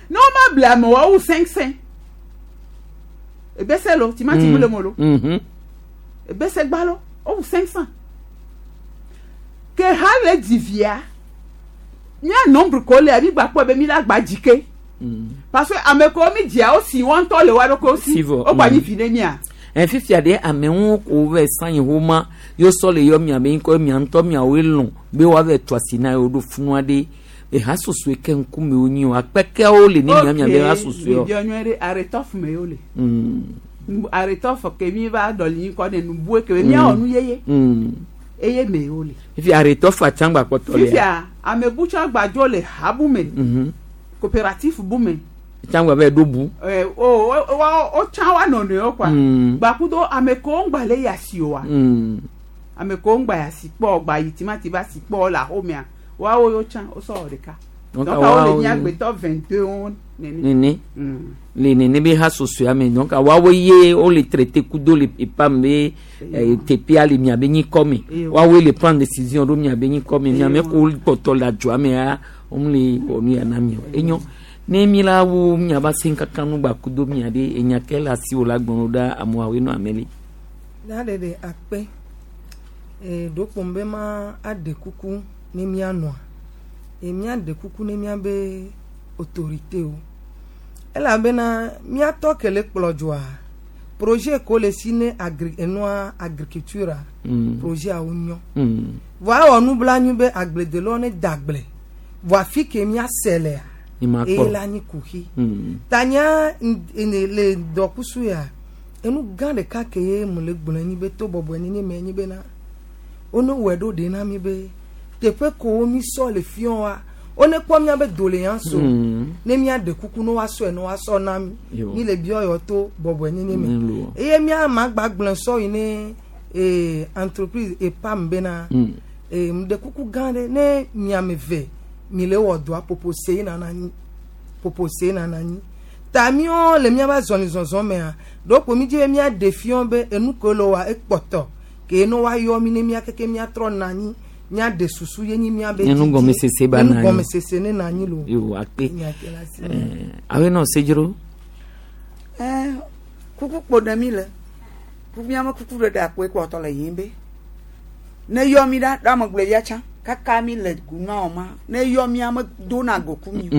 Ne woma ble ame woawu 500. Ebese lo timati mu le mo lo. Ebese gbalo wowu 500. Ke ha le dzi via mía nombre ko le mi gba kpɔ be mi la gba dzi ke. Parce que ame ko mi dzia wo si wɔn ŋutɔ le wa ɖokuiwo si. Wo gba nyi vi ne mia. Ɛ fifia ɖe amewo ko va san yi homa yo sɔ le yɔ mia be ŋkɔ mia ŋutɔ miawoe lɔ̃ be woava tu asi na yewo ɖo funua ɖe eha sosoe ke ŋkume wonyi o akpekeawo le ne mia mia be ha sosoe o. Mi nyuie ɖe aretɔf me yewo le. Aretɔf ke mi va ɖɔli ŋkɔ ne nubue ke miawɔ nu yeye. Eye me yewo le. Fifia aretɔf atsangba kpɔtɔ le. Fifia ame butsɔ gbadzo le ha bu me. Coopératif bu me. Tsangba bɛ ɖo bu. Ɛ o o o tsã wa nɔnɔewo kɔa. Gbakudo ame kewo ŋgba le yasi oa. Ame kewo ŋgba yasi kpɔ gba yi timati va si kpɔ le axomea woawo yo tsã wosɔ wɔ ɖeka. Donc woawo le nye agbetɔ 22 wo nene. Nene. Le nene be ha sosoa me donc woawo ye wo le traité kudo le epam be teƒea le miabe nyikɔ me. Woawoe le prendre décision ɖo miabe nyikɔ me. Miame ko kpɔtɔ le adzɔa mea wome le wɔ nu ya na mi o. Enyo. Ne mi la wo miaba se kaka nu gba kudo mia ɖe enya ke le asiwò la gblɔ ɖa amewoawoe nɔ ame li. Na ɖeɖe akpe. E ɖokpom be ma aɖe kuku ne mianɔa. E miaɖe kuku ne miabe autorité o. Elabena miatɔ ke le kplɔ dzoa projet ko le si ne agri enua agriculture projet awo nyɔ. Vɔa ewɔ nublanui be agbledelawo ne da agble. Vɔa afi ke miase lea eye la nyi kuxi. Tanya le dɔkusu ya enu gã ɖeka ke ye mu le gblɔe nyi be to bɔbɔe nini me nyi bena wone wɔe ɖo ɖe na mi be teƒe kowo mi sɔ le fiɔ wa wone kpɔ mia be doléance o ne mia ɖe kuku ne woasɔe ne woasɔ na mi mi le biɔ yɔ to bɔbɔe nini me eye mia magba gblẽ sɔ yi ne entreprise EPAM bena ŋɖe kuku gã ɖe ne miame ve mi le wɔ dɔa popose yi nana anyi popose nana anyi ta miwo le miaba zɔli zɔzɔ mea ɖoko mi dzi be mia ɖe fiɔ be enu ke le wa ekpɔtɔ ke ne woayɔ mi ne mia keke miatrɔ na anyi mia ɖe susu ye nyi mia be Enu gɔmesese ba na anyi. Gɔmesese ne na anyi lo. Yo akpe. Awe nɔ sedzro. Kuku kpo ɖe mi le kuku miame kuku ɖe ɖe akpoe kpɔtɔ le yim be ne yɔ mi ɖa ɖe ame gblɔ ya tsã kaka mi le gunua ma ne yɔ mia me dona goku mi o.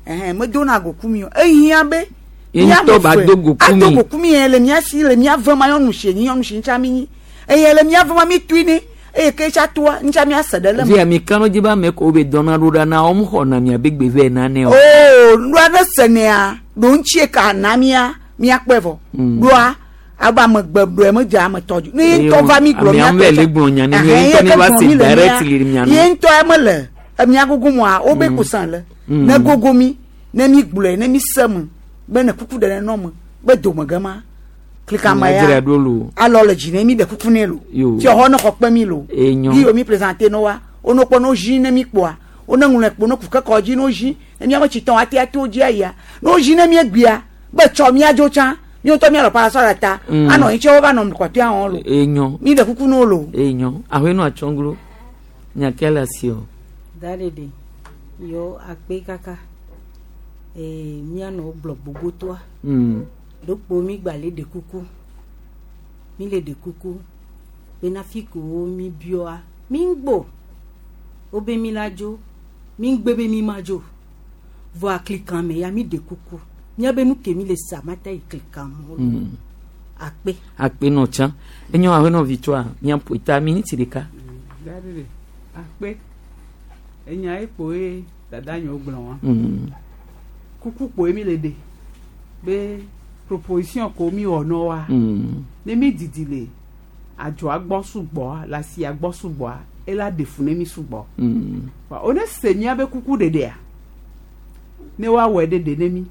Ɛhɛn me dona goku mi o ehiã be. Ye ŋutɔ ba do goku mi. Ado goku mi yɛ le mia si le mia ve ma nyɔnu si nyi nyɔnu si ŋutsa mi nyi eye le mia ve ma mi tui ne eye ke tsa toa ŋutsa mia se ɖe le me. Via mi kanu dzi be ame ko be dɔna ɖo ɖa na wɔm xɔ na mia be gbe vɛ na ne o. Oo nua ɖe se nea ɖo ŋutsie ka na mia mia kpɔe vɔ. Ɖoa abe ame gbe ɖoe me dze ame tɔ dzi. Ne ye ŋutɔ va mi gblɔ mia tɔ. Ame gblɔ nya ne ye ŋutɔ ne va se direct le mia nu. Ye ŋutɔ mele emia gogo moa wo be kusan le. Ne gogo mi ne mi gblɔe ne mi se me be ne kuku ɖe ne nɔ me be dome ge ma. Klikame Miadzrae ya ɖo lo. Alɔ le dzi ne mi ɖe kuku ne lo. Yo. Fiɔxɔ ne xɔ kpe mi lo. Enyo. Yi mi présenter no wa wo kpɔ no zi ne mi kpɔa wo ne ŋlɔ kpo ne ku kekɔ dzi no zi ne miabe tsitɔ ate ate wo dzi ayia ne wo zi ne mi egbea be tsɔ miadzo tsã mi ŋutɔ mialɔ parasɔ le ta anɔ anyi tse wo va nɔ kɔtɔe awɔ lo. Enyo. Mi ɖe kuku no lo. Enyo. Ahwenu atsɔnglo. Nyake le asi o. Da ɖeɖe yɔ akpe kaka ee mianɔ gblɔ gbogbotoa. Ɖokpo mi gba le ɖe kuku mi le ɖe kuku bena fi ko mi biɔa mi ŋgbo wobe mi la dzo mi ŋgbe be mi ma dzo vɔa klikan me ya mi ɖe kuku miabe nu ke mi le sa ma ta yi klikan mo akpe. Akpe nɔ tsã. Enyo ahwenɔ vitɔa miaƒo ta miniti ɖeka. Daɖeɖe akpe enya ekpo ye dada nyewo gblɔ wa. Kuku kpoe mi le ɖe be proposition ko mi wɔ nɔ wa. Ne mi didi le adzɔa gbɔ sugbɔa le asia gbɔ sugbɔa ela ɖe fu ne mi sugbɔ. Wa wo ne se miabe kuku ɖeɖea ne woawɔe ɖeɖe ne mi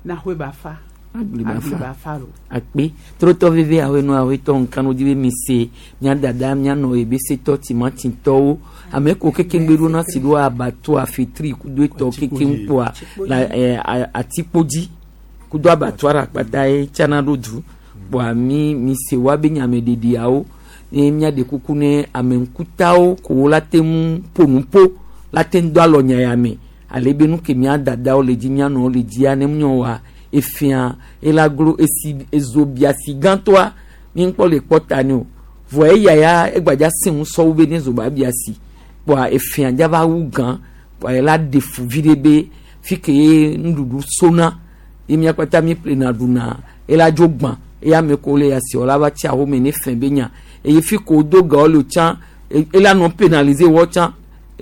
na xoe ba fa. Agble ba fa. ba fa lo. Akpe trotɔ veve ahwenu ahwetɔ nkanu di be mi se mia dada mia nɔ ebe setɔ timatitɔwo ame ko kekeŋgbe ɖo na si ɖo abato afetri kudo etɔ kekeŋ kpoa la ɛ atikpodzi kudo abatoa ɖe akpata ye tsana ɖo du kpoa mi mi se wa be nyameɖeɖiawo ye miaɖe kuku ne ame ŋkutawo ko wo la te ŋu ƒo nu ƒo la te ŋu do alɔ nya ya me ale be nu ke mia dadawo le dzi mia nɔwo le dzia ne nyɔ wa efia ela glo esi ezo biasi gãtɔa mi ŋkpɔ le kpɔ ta ne o vɔ eya ya egbadza sẽ ŋu sɔwu be ne zo ba biasi kpoa efia dza va wu gã kpoa ela ɖe fu vi ɖe be fi ke ye nuɖuɖu sona ye mia kpata mi ƒlena ɖuna ela dzo gbã eye ame ko le asiwɔ la va tsi ahome ne fɛn be nya eye fi ko do gawo le tsã ela nɔ pénaliser wɔ tsã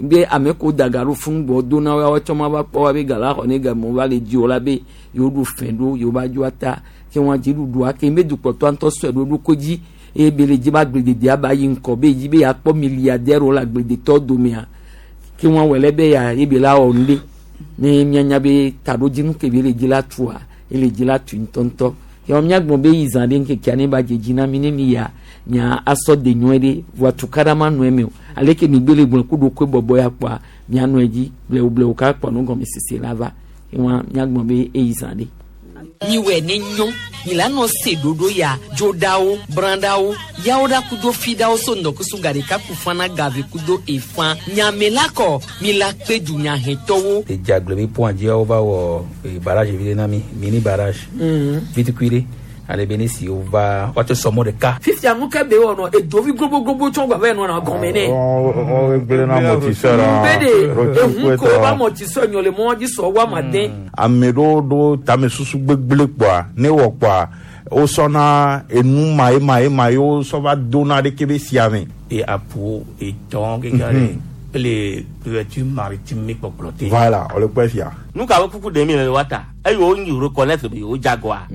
be ame ko da ga ɖo fún gbɔ do na woawo tsɔ ma va kpɔ wa be ga la xɔ ne game va le dzi o la be yewo ɖu fɛn ɖo yewo va dzo ata ke wɔn dzi ɖuɖua ke be dukplɔtɔa ŋutɔ sɔe ɖo ɖokui dzi eye be le dzi be agblededea ba yi ŋkɔ be dzi be yeakpɔ milliardaire le agbledetɔ domea ke wɔn wɔ lɛ be ya ye be la wɔ nu ɖe ne mianya be taɖodzinu ke be le dzi la tua ele dzi la tu ŋutɔŋutɔ yɔ miagblɔ be yi zã ɖe ŋkekea ne ba dze dzi na mi ne mi ya mia asɔ de nyuie ɖe voa tukaɖa ma nɔ eme o ale ke mi gbe le gblɔ ku ɖokui bɔbɔ ya kpɔa mianɔ edzi blewu blewu ka kpɔ nu gɔme sese la va ewɔn miagblɔ be eyi zã ɖe. Miwɔe ne nyɔ mi la nɔ se ɖoɖo ya dzoɖawo branɖawo yawo ɖa kudo fiɖawo so ŋdɔkusu ga ɖeka ku fana gave kudo efã nyame la kɔ mi la kpe dunyahɛtɔwo. Edze be pont dzia wova wɔ barrage vi ɖe na mi mini barrage vitukui ɖe ale be ne si wova woate sɔ mɔ ɖeka. Fifia nu ke be wɔ nɔ edovi gbogbogbogbo tsɔ gba va yi nɔna gɔme nɛ. Gblẽ na amortisseur. Be de ehun ko ba amortisseur nyɔ le mɔ dzi sɔ wa ma den. Ame ɖewo ɖo tamesusu gbegblẽ kpoa ne wɔ kpoa wosɔna enu ma ye ma ye ma ye wosɔ va dona ɖeke be sia me. E apo etɔn keke ɖe ele couverture maritime mi kpɔkplɔ te. Voilà, wòle kpɔe fia. Nu ka be kuku ɖem mi le wa ta eye wo nyi reconnaître be yewo dze agɔa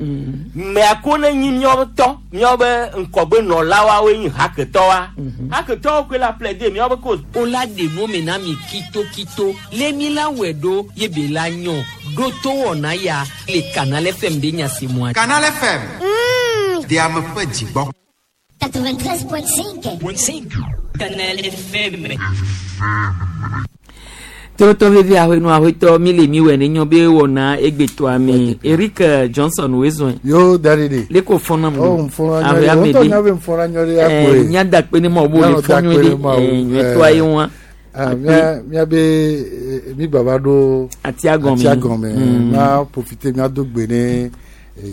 mɛ ko ne nyi míawo tɔ míawo be ŋkɔgbe nɔlawoe nyi haketɔwoa haketɔwo koe la plaider míawo be cause. O la de nu me na mi kitokito le mi la wɛ ɖo ye be la nyɔ ɖo to wɔna ya le Canal FM be nya si mua. Canal FM. De ame ƒe dzi gbɔ. 93.5. Canal FM. Torotɔ vevi ahwenu ahwetɔ mi le mi wɛ ne nyɔ be wɔna egbetɔa me Eric Johnson wezɔn. Yo daridi. Le ko fɔna mu. Oh nfɔna nyɔ de o tɔ nya be nfɔna nyɔ de ya koe. Nya da kpe ne ma o b'o le fɔ nyɔ de nyɔtɔa ye wa. Mía mía be mi gbava ɖo. Atia gɔme. Atia gɔme ma profiter mía do gbe ne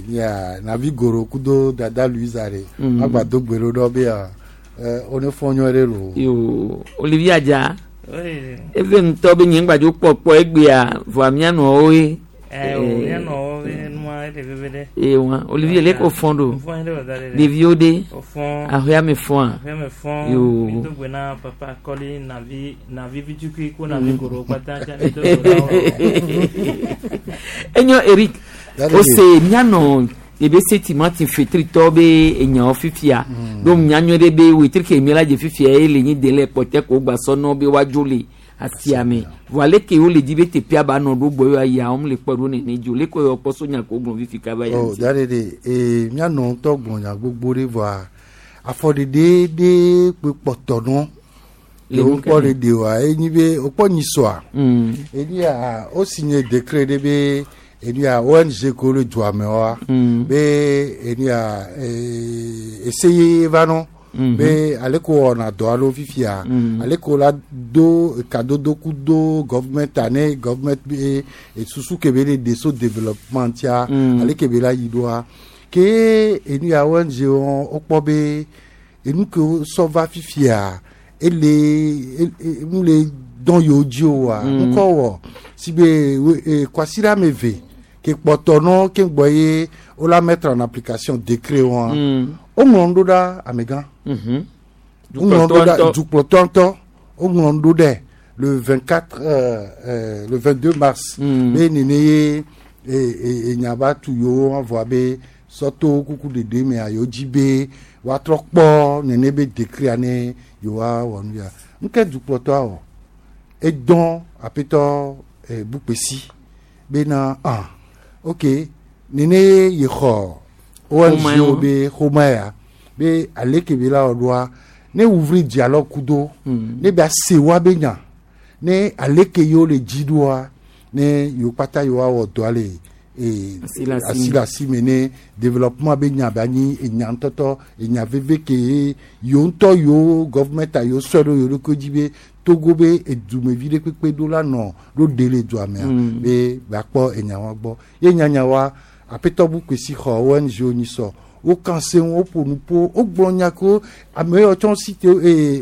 nya navi goro kudo dada Louisa de. Ma gba do gbe ɖo ɖɔ be ya wo ne fɔ nyɔ de lo. Yo Olivier Adja. Eve ŋutɔ be nye ŋgbadzo kpɔkpɔ egbea vɔa mianɔwo ye. Ɛ o mianɔwo be nua ele veve ɖe. Ee wa Olivier le ko fɔn ɖo. Fɔn ɖe da ɖe. Ɖeviwo ɖe. O fɔn. Aƒea me fɔn a. Aƒea me fɔn. Yo. Mi do gbe na papa Kɔli navi navi vitukui ko navi goro kpata tsa mi do gbe na wo. Enyo Eric. O se mianɔ ebe se timati fetritɔ be enyawo fifia ɖo mianyɔ ɖe be wetri ke mi la dze fifia ye le nyi de le kpɔtɛ ko gba sɔnɔ be woadzo le asiame vɔ aleke wo le di be teƒea ba nɔ ɖo gbɔ yɔ ayia wɔm le kpɔ ɖo nene dzo leke yɔ kpɔ so nya ko gblɔ fifi kaba ya Oh, ŋuti. da ɖe ɖe ee míanɔ ŋutɔ gblɔ nya gbogbo ɖe vɔa afɔɖeɖe ɖe kpe kpɔtɔ nɔ Le le nu wokpɔ ke me? ɖe ɖe oa enyi be wokpɔ nyisɔa Mm. enia wosigné décret ɖe be enia ONG ko le dua me wa Mm. be enia ee ese ye va nɔ Mhm. be ale ko wɔna dɔ alo fifia Mm. ale ko la do kadodo ku do government ane government be esusu ke be le de so développement tia Mm. ale ke be la yi ɖoa ke enu ya ONG wo wokpɔ be enu ke sɔ va fifia ele nu le dɔn yewo dzi o wa Mm. ŋkɔ wɔ si be kwasiɖa ame eve ke kpɔtɔ nɔ ke gbɔ ye wola mettre en application décret wa Mm. woŋlɔ nu ɖo ɖa amegã Mhm. woŋlɔ nu ɖo ɖa Dukplɔtɔ ŋutɔ. dukplɔtɔ ŋutɔ woŋlɔ nu ɖo ɖɛ le 24 le 22 mars Mm. be nene ye enya va tu yewo vɔa be sɔto kuku ɖeɖe mea yewo dzi be woatrɔ kpɔ nene be décret ne yewoa wɔ nu ya nke dukplɔtɔa wɔ edɔn aƒetɔ bukpesi bena ah ok nene ye xɔ ONG Xɔme wo wo. be xɔme ya be ale ke be la wɔ ɖoa ne ouvrir dialogue kudo ne be ase wa be nya ne ale ke yewo le dzi ɖoa ne yewo kpata yewoa wɔ dɔa le Asi le asi me. asi le asi me ne développement be nya be anyi enya ŋutɔtɔ enya veve ke ye yewo ŋutɔ yewo gɔvmɛnta yewo sɔe ɖo yewo ɖokui dzi be Togo be edumevi ɖe kpekpe ɖo la nɔ ɖo ɖe le dua mea Mm. be gbakpɔ enya wa gbɔ ye nyanya wa aƒetɔ bukpesi xɔ ONG wo nyi sɔ wo kan se ŋu woƒo nu ƒo wogblɔ nya ko ame yawo tsɔ si te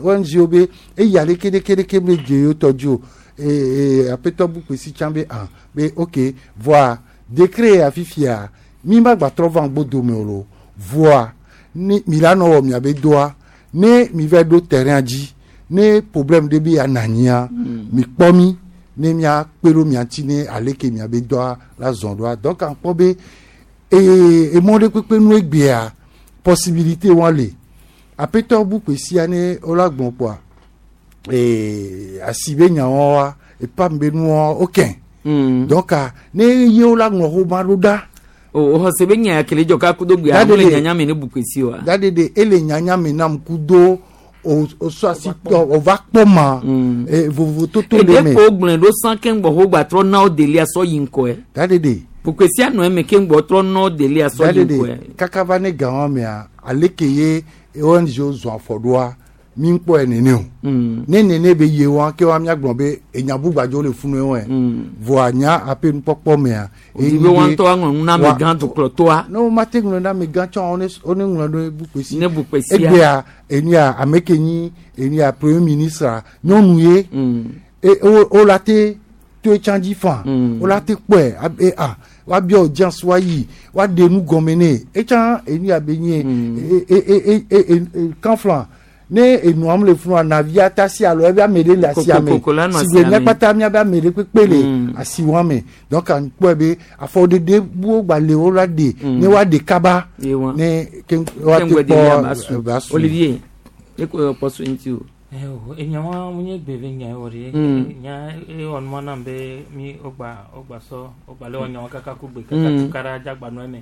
ONG wo be eya ɖeke ɖeke ɖeke me dze yewo tɔ dzi o ee aƒetɔ bukpesi tsã be ah be ok voa décret ya fifia mi ma gba trɔ va ŋgbo dome o lo voa ne mi la nɔ wɔ miabe doa ne mi va ɖo terrain dzi ne problème ɖe be ya na anyia mi kpɔ mi ne miakpe ɖo mia ŋuti ne ale ke miabe dɔa la zɔn ɖoa donc akpɔ be ee emɔ ɖe kpekpe nu egbea possibilité wa le aƒetɔ bukpe sia ne wola gblɔ kpoa ee asi be nyawo wa epam be nuwo wokɛ donc ah, ne ye wola ŋlɔ xoma ɖo ɖa o o xɔse be nya ya kele dzɔ ka kudo gbea Dade mo le de- nyanya me ne bukpesi oa. dadede ele nyanya me nam kudo o o sɔ asi tɔ o va kpɔ ma vovototo le eɖe me ko gblɔe ɖo san keŋ gbɔ ho gba trɔ na wo delia sɔ yi ŋkɔe. dadede bukpesi anɔ eme keŋ gbɔ trɔ na wo delia sɔ yi ŋkɔe. dadede kaka va ne gawa mea ale ke ye ONG zɔn afɔ ɖoa mi ŋkpɔe nene o ne nene be ye wa ke wa miagblɔ be enya bugbadzo le funu wɔe voa nya aƒe nukpɔkpɔ mea Odi be wa ŋutɔ aŋlɔ nu na amegã dukplɔtɔa. ne wo ma te ŋlɔ na amegã tsɔ wo ne ŋlɔ ɖo bukpesi Ne bukpesia. egbea enuya ame ke nyi enuya premier ministre nyɔnu ye e wo la te to etsã dzi fan wo la te kpɔe abe ah woabia audience woayi woaɖe nu gɔme nɛ etsã enuya be nye e e e e e e kanflan ne enuam le funu anavia ta si alo ebe ame ɖe le asia me Kokoko la nɔ si be asia me. míakpata míabe ame ɖe kpekpe le asiwa me donc akpɔe be afɔɖeɖe buwo gba le wo la ɖe ne woaɖe kaba Ye wa. ne ke woate Keŋ gbɔ delia ba kpɔ su. ba su. Olivier eko yɔ kpɔ so ŋuti o. Enyawa munye gbe be nya wɔ ɖe nya ewɔ nua nam be mi wogba wogba sɔ wogba le wɔ nyawo kaka ku gbe kaka tu kara dzagba nɔ eme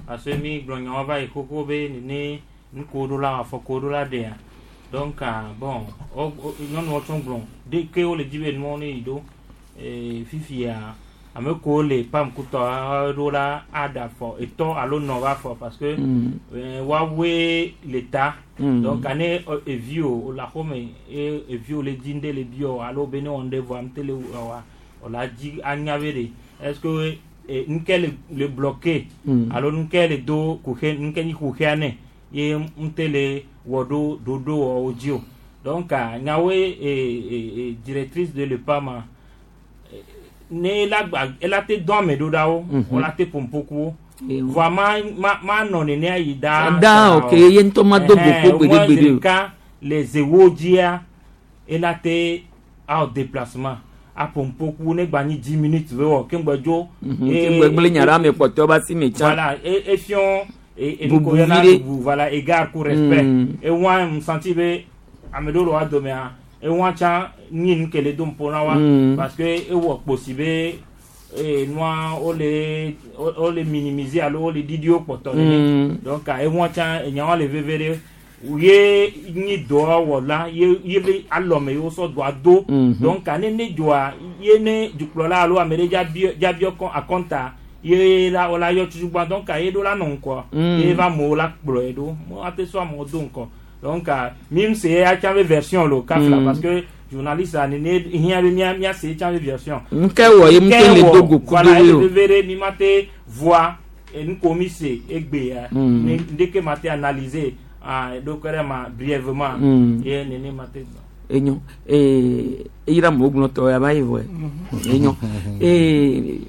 parce que mi gblɔ nyawo va yi xoxo be nene nuko ɖo la afɔko ɖo la ɖea donc ah, bon nyɔnuwo tsɔ gblɔ de ke wole dzi be nuwo ne yi ɖo fifia ame kewo le pam kutɔ ɖo la aɖe afɔ etɔ alo nɔ va afɔ parce que woawoe le ta. Donc ane eviwo wòle axɔme ye eviwo le dzi ŋɖe le biɔ alo be ne wɔ ŋɖe vɔa ŋte le wɔa wòle dzi anya be ɖe est ce que ŋke le bloqué alo ŋke le do kuxe ŋke nyi kuxea nɛ ye ŋte le wɔ ɖo ɖoɖo wɔwo dzi o. Donc nyawoe directrice de l'EPAM ne ela gba ela te dɔn ame ɖo ɖa wo wola te ƒompokuwo voa ma nɔ nenea yi da. Da, ok, ye ŋutɔ ma do go kpo gbeɖegbeɖe o. Ɖeka le zewo dzia ela te awɔ déplacement aƒompoku ne gba nyi 10 minutes be wɔ keŋgbɛ dzo. Keŋgbɛ gblẽ nya ɖe ame kpɔtɔewo be asi me tsã. Voilà, efiɔ Bubu enuko yɔna viɖe. bubu, voilà, égard ku respect. Ewa mu senti be ame ɖewo le wa domea Ewa tsã nyi nu ke le do ŋpo na wa parce que ewɔ kposi be nua wole wole minimiser alo wole ɖiɖi wo kpɔtɔ nene. Donc ewa tsã enyawa le veve ɖe ye nyi dɔwɔla ye ye be alɔme ye wosɔ dɔa do. Donc ne ne dzoa ye ne dukplɔla alo ame ɖe dzabiɔ dzabiɔ kɔ akɔnta ye la wola yɔ tutugbã, donc ye ɖo la nɔ ŋkɔ ye va amewo la kplɔe ɖo mo ate sɔ amewo do ŋkɔ. Donc mi se ya tsã be version lo kafla parce que journaliste a nene hiã be mía mía se tsã be version. Nke wɔ ye ŋutɔ le do go kudo Voilà, ye ele o. veve ɖe mi ma te voa enu ko mi se egbe ya ne ndeke ma te analyser ah ɖokui ɖe ma brièvement ye nene ma te gbɔ. Enyo ee eyira mo gblɔ tɔ yaba yi vɔ enyo ee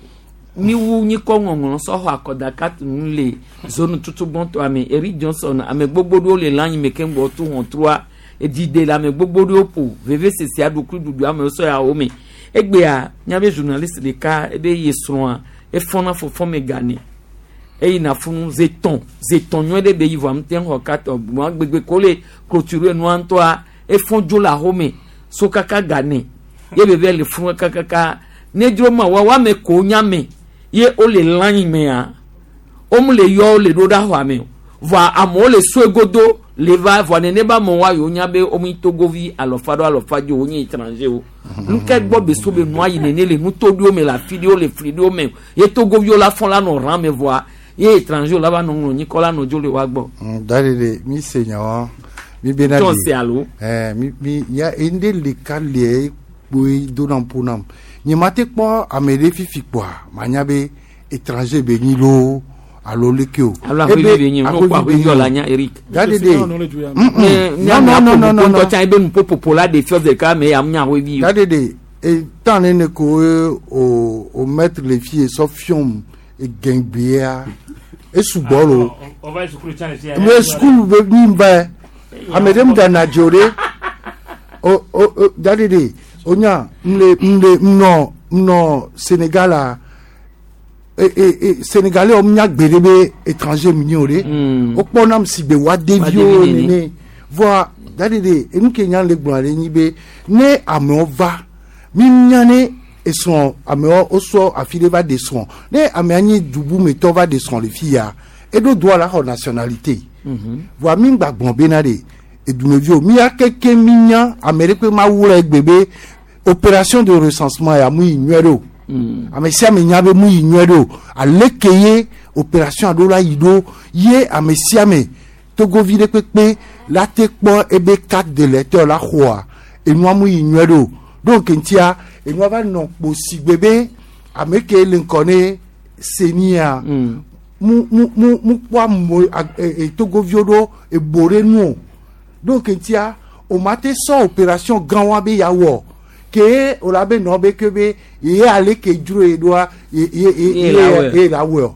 miwu nyikɔ ŋɔŋlɔ sɔxɔ akɔdaka nu le zone tutu gbɔntɔ ame Eric Johnson ame gbogbo ɖewo le lãnyi me keŋ gbɔ tu hɔntrua edide le ame gbogbo ɖewo ƒo veve sese aɖukui ɖuɖu amewo sɔ ya wo me. Egbea miabe journaliste ɖeka ebe ye srɔ̃a efɔna fɔfɔ me gane eyina funu zetɔn zetɔn nyuie ɖe be yi vɔ ame te xɔ katɔ nua gbegbe ko le clôture nua ŋutɔa efɔn dzo le axome so kaka gane ye bebe le funu kakaka ne dzro ma wa woame ko nyame ye wole lãnyi mea womu le yɔ wole ɖo ɖe axɔa me o vɔa amewo le soe godo le va vɔa nene be amewo wa yewo nya be womu togovi alɔfa ɖo alɔfa dzo wonye étranger o nuke gbɔ be so be nua yi nene le nutoɖowo me le afi ɖewo le fli ɖewo me ye togoviwo la fɔ la nɔ rã me vɔa ye étranger la va nɔ ŋlɔ nyikɔ la nɔ dzo le wa gbɔ. Da ɖeɖe mi se nyawa mi bena Tsɔ se alo? Ɛɛ mi mi ya ende ɖeka lie kpoe dona ƒo nam nye ma te kpɔ ame ɖe fifi kpoa manya be étranger be nyi loo alo leke o. Alo aƒevi be nyi o, n'o kpɔ aƒevi o la nya Eric. Da ɖeɖe. Ne Non, non, non, non, non, ŋutɔ tsã ebe nuƒoƒoƒo la ɖe fiɔ ɖeka me ya nya aƒevi o. Da ɖeɖe etan ne ne ko o o maître le fi sɔ fiɔm egɛngbea esugbɔ lo. On va sukulu tsã le fi ya. Me sukulu be mi va ame ɖe mu da na dzo ɖe o o o da ɖeɖe o nya m le m le nɔ nɔ Sénégal a e e e Sénégalais wo nya gbe ɖe be étranger mi nyi o ɖe o kpɔ nam si gbe wa deviwo nene. Nene voa da ɖeɖe enu ke nya le gblɔ ɖe nyi be ne amewo va mi nya ne esrɔ̃ amewo wosɔ afi ɖe va ɖe srɔ̃ ne amea nyi dubumetɔ va ɖe srɔ̃ le fi ya eɖo droit la xɔ nationalité voa mi gba gblɔ bena ɖe edumeviwo mia keke mi nya ame ɖe kpe ma wu le egbe be opération de recensement ya mu yi nyuie ɖe o ame sia ame nya be mu yi nyuie ɖe o ale ke ye opération aɖewo la yi ɖo ye ame sia ame togovi ɖe kpekpe la te kpɔ ebe carte de lecteur la xɔa enua mu yi nyuie ɖe o donc ŋutia enua va nɔ kpo si gbe be ame ke le ŋkɔ ne senia mu mu mu mu kpɔ ame e e togoviwo ɖo ebo ɖe nu o donc ŋutia o ma te sɔ opération gã wa be ya wɔ ke o la be nɔ be ke be ye ale ke dzro ye ɖoa ye ye ye Ye la wɔe. ye la wɔe o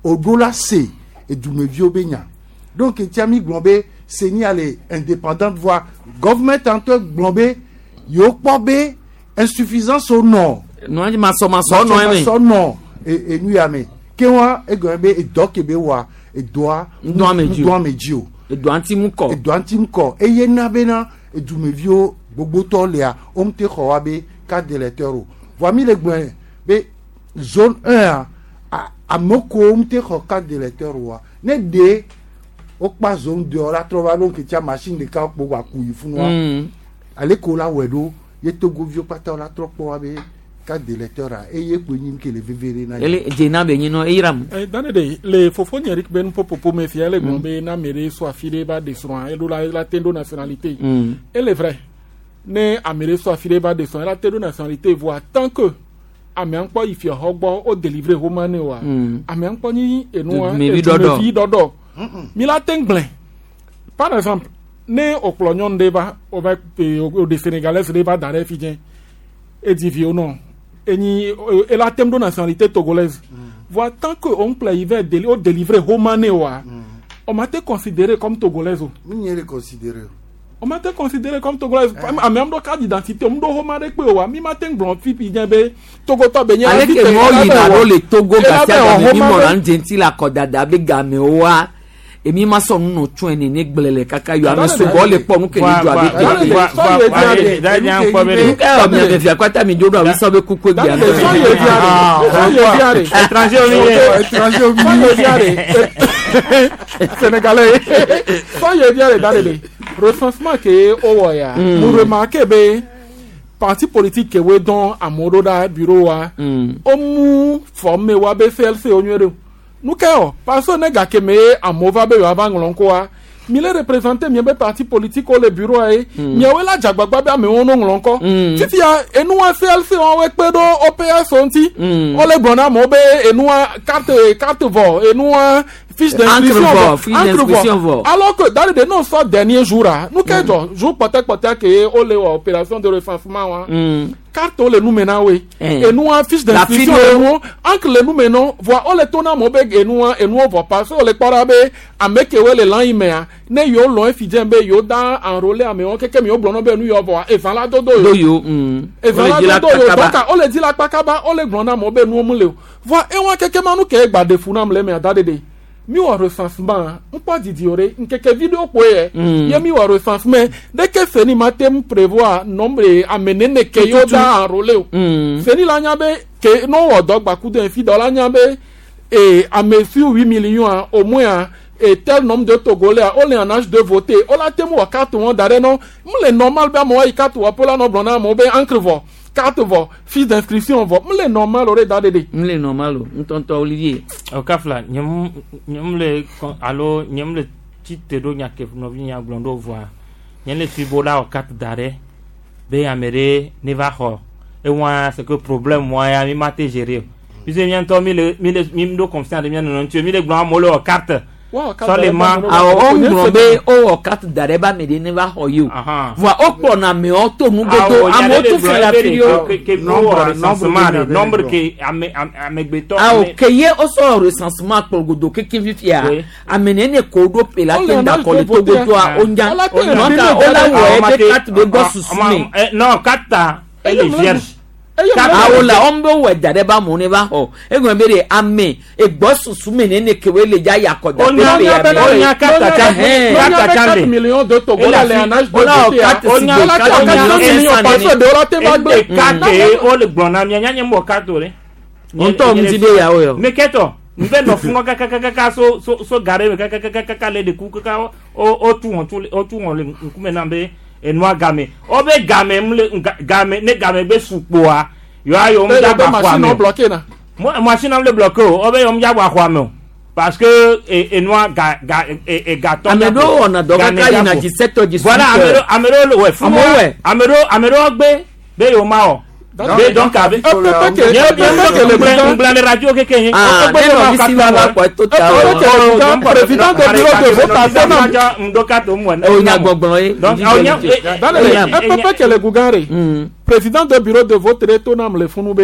o ɖo la se edumeviwo be nya donc ŋutia mi gblɔ be senia le indépendante voa government ŋutɔ gblɔ be yewo kpɔ be insuffisance wo nɔ nua dzi masɔmasɔ nɔ eme. masɔmasɔ nɔ enu ya me ke wa egɔme be edɔ ke be wɔa edɔa Ŋdɔ ame dzi o. ŋdɔ ame dzi o edɔa ŋuti mu kɔ. Edɔa ŋuti mu kɔ eye na bena edumeviwo gbogbotɔ lea wo ŋute xɔ wa be carte d'électeur o voa mi le gblɔe be zone 1 a ame kewo ŋute xɔ carte d'électeur oa ne ɖe wokpa zone 2 la trɔ va ɖo ŋketsia machine ɖeka kpo wa ku yi funua ale ko la wɔe ɖo ye togoviwo kpata la trɔ kpɔ wa be carte d'électeur a eye kpo nyi ke le veve ɖe na Ele dzena be nyi nɔ eyira mu. Dane de le fofo nye Eric be nuƒoƒoƒo me fia ele gblɔ be na ame ɖe sɔ afi ɖe va ɖe srɔ̃a eɖo la la te ɖo nationalité. Ele vrai ne ame ɖe sɔ afi ɖe va ɖe srɔ̃a ela te ɖo nationalité voa tant que amea ŋkpɔ yi fiaxɔ gbɔ wo délivrer woma ne oa amea ŋkpɔ nyi enua Dumevi ɖɔɖɔ. edumevi ɖɔɖɔ mi la te gblẽ par exemple ne wòkplɔ nyɔnu ɖe va wova o ɖe sénégalaise ɖe va da ɖe fi dze edi viwo nɔ enyi ela tem ɖo nationalité togolaise voa tant que on kplɔ yi va déli o délivrer woma ne oa on ma te considéré comme togolaise o. Mi nye le considéré o. On ma te considéré comme togolaise ame am ɖo carte d'identité om ɖo woma ɖe kpe oa mi ma te gblɔ fifi dze be togotɔ be nye ale fi ke te- mɔ ela yina be ɖo wɔ- le togo ela gasia be wɔ game mi woma mɔna be- nu dze ŋuti le akɔdada be gamewoa Emi ma sɔ nu nɔ tsɔe nene gblẽ le kaka yɔ ame sugbɔ le kpɔ nu ke ne dzɔ abe nu ka yɔ mia fia kpata mi dzo ɖo awi sɔ be kuku gbea. Étranger au milieu. Étranger au milieu. Sénégalais. Sɔ ye via le da de de. Recensement ke o wɔ ya. Mu remarque be parti politique ke we dɔn amewo ɖo ɖa bureau wa. O mu forme wa be CLC o nyuie ɖe o. Nu ke o parce que ne gake me ye amewo va be yewoava ŋlɔ ŋkɔa mi le représenter miabe parti politique wo le bureau ye miawoe la dze agbagba be amewo no ŋlɔ ŋkɔ fifia enua CLC wɔwoe kpe ɖo OPS wo ŋuti wole gblɔ na amewo be enua carte carte vɔ enua fiche d'inscription Encre vɔ, fiche encre d'inscription vɔ. alors que dans le de non sɔ dernier jour a nu ke dzɔ jour kpɔtɛkpɔtɛ ke ye wole wɔ opération de recensement wa carte wo le nu me na woe enua fiche La d'inscription fiche le nuwo encre le nu me nɔ voa wole to na amewo be enua enuwo vɔ parce que wole kpɔ ɖa be ame kewoe le lãnyi mea ne yewo lɔ efi dze be yewo da enrôler amewo keke mi wo gblɔ nɔ be enu yewo vɔa evã la dodo Do yewo yo. evã Wole dzi la la dodo yewo kpakaba. donc wole dzi la kpakaba wole gblɔ na amewo be nuwo mu le o voa ewa keke ma nu ke egba ɖe fu nam le emea da ɖeɖe mi wɔ recensement ŋkpɔ didi o ɖe nkeke vi ɖewo kpoe yɛ ye mi wɔ recensement ɖeke seni ma te ŋu prévoir nombre ame nene ke yewo da enrôler o seni la nya be ke ne wowɔ dɔ gbaku de fi dɔ la nya be e ame si huit millions a au moins a et tel nombre de Togolais a wole en âge de voter wola te ŋu wɔ carte wɔn da ɖe nɔ mu le normal be amewo ayi carte wɔƒe la nɔ gblɔ na amewo be encre vɔ carte vɔ fiche d'inscription vɔ mu le normal o ɖe da ɖeɖe. N le normal o ŋutɔŋutɔ Olivier. O kafla nye mu nye mu le kɔn alo nye mu le tsi te ɖo nya ke nɔvi nya gblɔ ɖo vɔa nye le fi bo la wɔ carte da ɖe be ame ɖe ne va xɔ ewa c'est que problème wa ya mi ma te gérer o puisque mía ŋutɔ mi le mi le mi ɖo confiance ɖe mía nɔnɔ ŋuti o mi le gblɔ amewo le wɔ carte sɔlema Awɔ wo ŋlɔ be wowɔ carte da ɖe be ame ɖe ne va xɔ ye o. Voa wokplɔna amewo to nugodo amewo tu fi le afi ɖewo. ke wowɔ recensement ɖe nombre ke ame amegbetɔ Awɔ ke ye wosɔ recensement kplɔ godo keke fifia ame nene ko ɖo pe la te da kɔ le togotoa wonya donc wola wɔ ebe carte be gbɔ susu me. Non carte elle est vierge. Awo la wɔn bɛ wɔ da ɖe be amewo ne va xɔ egɔme be de ame egbɔ susu me nene ke wo le dza yakɔ da pe pe ya me. Onya carte Onya 4 millions de Togolais le en âge de voter a. Onya Ola te 4 millions parce que de wola te va gblẽ. Carte ye wole gblɔ na mía nye mu wɔ carte o ɖe. Ŋutɔ ŋuti be yawo yɔ. Me kɛtɔ n bɛ nɔ funɔ kakakaka so so so gare me kakakaka le de ku kaka o o tu wɔn tu o tu wɔn le ŋkume nam be enua game o be game mu le game ne game be sukpoa yɔ ayɔ mu Be dagba xɔa machine me o o. bloqué na. Mo machine am le bloqué o o be yɔ mu dagba xɔa me o parce que enua ga ga e gatɔ. Ame ɖewo wɔna dɔ kaka yina 17 heures, 18 Voilà ame ɖewo ame ɖewo le wɛ fún Amewo wɛ. ame ɖewo ame ɖewo gbe be yewo ma wɔ. Be donc abe. Ŋgblẽ le radio keke ye. Ah, ne nɔvi si va va kpɔ eto ta o. Président de bureau de vote a tɛna. O nya gbɔgblɔ ye. Donc, awo nya- Epepe ke le Gugare. Président de bureau de vote ɖe to nam le funu be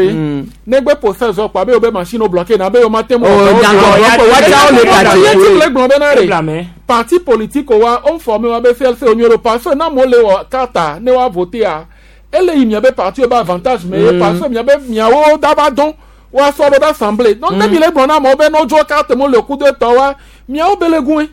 negbe process wɔ kpa be yewo be machine wo bloqué na be yewo ma te mu. O nya gbɔgblɔ kpɔ watsa wo le ka Ye ti dze. le gblɔ bena re parti politique wa wo forme wa be CLC wo nyuie ɖo parce que ne amewo le wɔ carte ne woa voter ele yi miabe parti wo be avantage me ye parce que miabe miawo dava dɔn woasɔ ɖo ɖe assemblée donc ne mi le gblɔ na amewo be ne wodzo carte mo le ku de tɔ wa miawo be le gue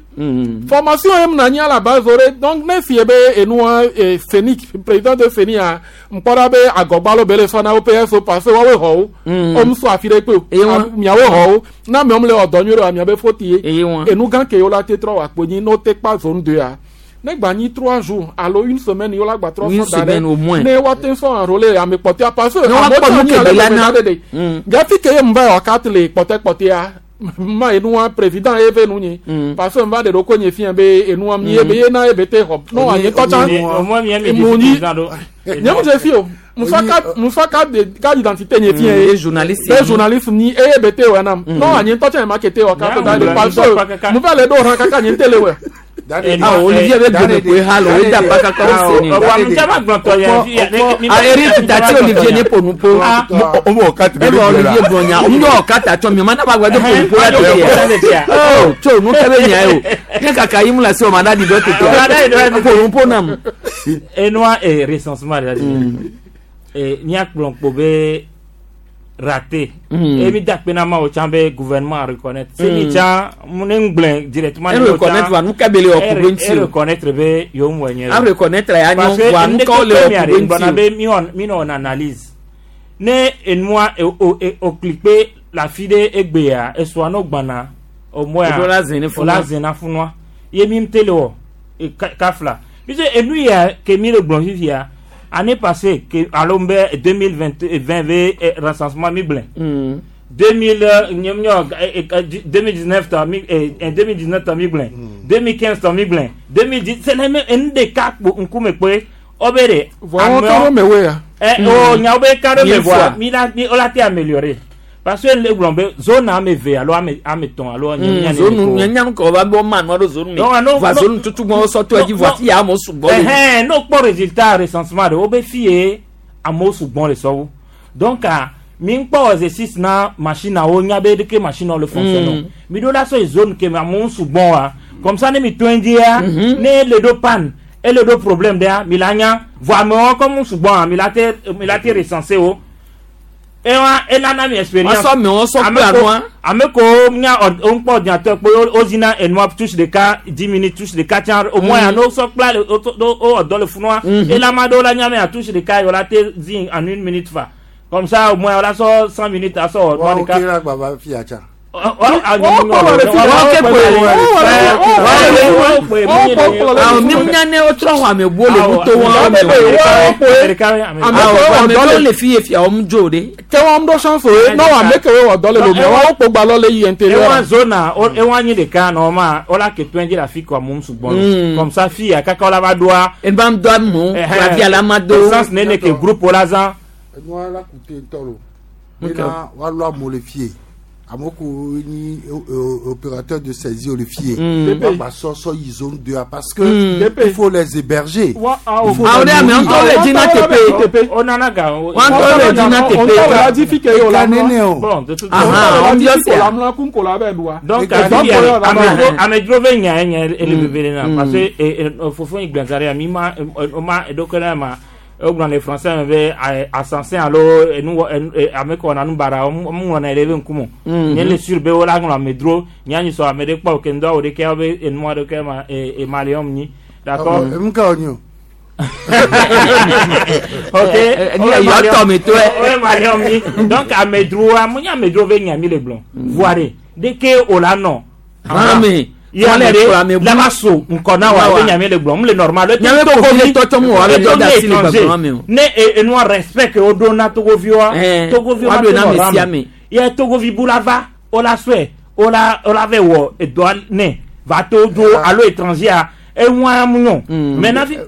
formation ye mna nyi à la base o ɖe donc ne fie be enua CENI président de CENI a ŋkpɔ ɖa be agɔgbalo be le sɔ na wo PS o parce que woawoe xɔ wo wo mu sɔ afi ɖe kpe o miawo xɔ wo na amewo le wɔ dɔ nyuie ɖe wa miabe faute ye enu gã ke yewo la te trɔ wɔ akpo nyi ne wo te kpa zone deux a ne gba nyi trois jours alo une semaine yewo la gba trɔ Une sɔ da semaine au moins. ɖe ne woate sɔ enrôler ame kpɔtɔa parce que Ne woakpɔ amewo nu tse ke anyi be la ale na. ɖe ɖe gafi ke ye mu va wɔ carte le kpɔtɛkpɔtɛa ma enua président ye ve nu nyi parce que nva ɖe ɖo ko nye fia be enua mi ye be ye na ye be te xɔ no anyi tɔtsa mu nyi nye mu dze fi o musa carte de carte d'identité nye fia ye Ye journaliste be ye. journaliste ni eye be te wɔ nam no anyi tɔtsa ye ma ke te wɔ carte da ɖe parce que mu va le ɖo hã kaka nye te le wɔ. Ah, Olivier bɛ gbeme koe ha le o ye da ba kaka o se ni. Ah, Eric tati Olivier ne ƒo nu po. Ebe Olivier gblɔ nya, o yɔ kata tsɔ mi, o ma na ba gba do ƒo nu po la tete ya. Oh, tso nu ke be nya ye o. Ne kaka yi mu le asi o ma da di dɔ tete ya. Ƒo nu po nam. Enua recensement ɖe míakplɔ kpo be raté. Et mi da akpe na Mawu tsã be gouvernement reconnaître. Se mi tsã ne ŋgblẽ directement. E reconnaître wa nu ka be le wɔ ku ɖo ŋuti E o. reconnaître be yewo ŋu wɔ nyuie. A reconnaître ya Parce nyɔ que wa nu ne ka wo le ke wɔ mi ku are ɖo ŋgblɔna ŋuti o. be mi wɔ mi nɔ analyse. Ne enua o cliquer la fi ɖe egbea esua no gbana au moins O ɖo la zẽ ne funua. o la zẽ na funua. Ye mi te le wɔ e kafla. Puisque enu ya ke mi le gblɔ fifia année passée ke alo be 2020 20 ve recensement mi gblẽ. 2000 nye nyɔ 2019 tɔ mi 2019 tɔ mi gblẽ 2015 tɔ mi gblẽ 2010 c'est les mêmes enu ɖeka kpo ŋkume kpoe wo be de. Voa wɔn ka ɖo me woe ya. Ɛ o nyawo be ka ɖo me Mille voa fois. mi la mi o la te améliorer parce que le gblɔ be zone ame eve alo ame etɔ̃ alo nye nye Zone nye nyanu kɔ va bɔ ma nua ɖo zone me. Non, non, Va non. zone tutu gbɔ sɔ to edzi voa fi ya amewo sugbɔ le. Ɛhɛn n'o kpɔ résultat recensement de wo be fi ye amewo sugbɔ le sɔwu donc ah, mi kpɔ exercice na machine awo nya be ɖeke machine awo le fonctionne mi ɖo la sɔ yi zone ke me amewo sugbɔ wa comme ça ne mi to ŋdzia ne le ɖo panne ele ɖo problème ɖea mi la nya vɔ amewo comme sugbɔ mi la te recenser wo ewa enana mi expérience Wasɔ amewo sɔ Ame kple ko- anua. ame ko nya o ŋkpɔ ordinateur kpo o zina enua touche ɖeka 10 minutes touche ɖeka tsã au moins ano sɔ kpla le o o o dɔ le funua elama ɖewo la nya me a touche ɖeka yɔ la te zi en une minute fa comme ça au moins o la sɔ 100 minutes asɔ wɔ nua Wa ɖeka. o kera gbava fia tsa. Awo mi nya ne wotrɔ xɔ ame buwo le nuto wɔn me o. Awo ame ɖewo le fi ye fia wɔm dzo ɖe. Ke wɔn ɖo chance o ye n'o ame ke wo wɔ dɔ le lomɛ wɔn kpo gba lɔ le yi intérieur. ewa zone ewa nyi ɖeka nɔ ma wola ke tɔn dzi le afi ko amewo sugbɔ Mm. lo comme ça fi ya kaka wola va ɖoa. Eba do amewo, clavier la ma do. Essence nene ke groupe wola zã. Enua la kute ŋutɔ lo. Ok. Bena woalɔ amewo le fie. Amewo ko nyi opérateur de saisie le fie. Woagba sɔ sɔ yi zone 2 a parce que il faut les héberger. Il faut Awo les ɖe ame nourrir. ŋutɔ le dzi na teƒe. O nana ga o. Wɔn ŋutɔ le dzi na teƒe. Eka nene o. Bon, de toute Ahan, wɔn biɔ sia. Donc, amedzro be nya ye nye ele veve ɖe na parce que fofo yi gbɛnza ɖe mi ma o ma eɖokui ɖe ma wogblɔ le français me be assassin alo enu wɔ enu ame ke wɔna nu baɖa wo mu ŋlɔna ɖe be ŋkume o. Nye le sur be wola ŋlɔ amedzro nye anyi sɔ ame ɖe kpɔ ke ŋdɔ awo ɖeke wo be enua ɖeke ma emaliɔm nyi d'accord. Emu ka wònye o. Ok. Yɔ tɔ me to ɛ. O maliɔm nyi donc amedzroa mo nye amedzro be nya mi le gblɔ voa ɖe ɖeke o la nɔ. Hame. Ye Wɔn le ame kplɔ ɖe ame bu. la va so ŋkɔ na wa Na wa. ebe nya mi le gblɔ mu le normal. Nya be ko fi tɔtɔ mu wa be dɔ da si le gbɔgblɔ me o. Ne enua respect ke wo ɖo na togoviwoa. Togoviwo wa ma ɖo te na nɔ ame rame. sia ame. Ye togovi bu la va o la sɔe o la o la vɛ wɔ edɔa nɛ va to do alo étranger a eŋua mu nyɔ. Mais nafi.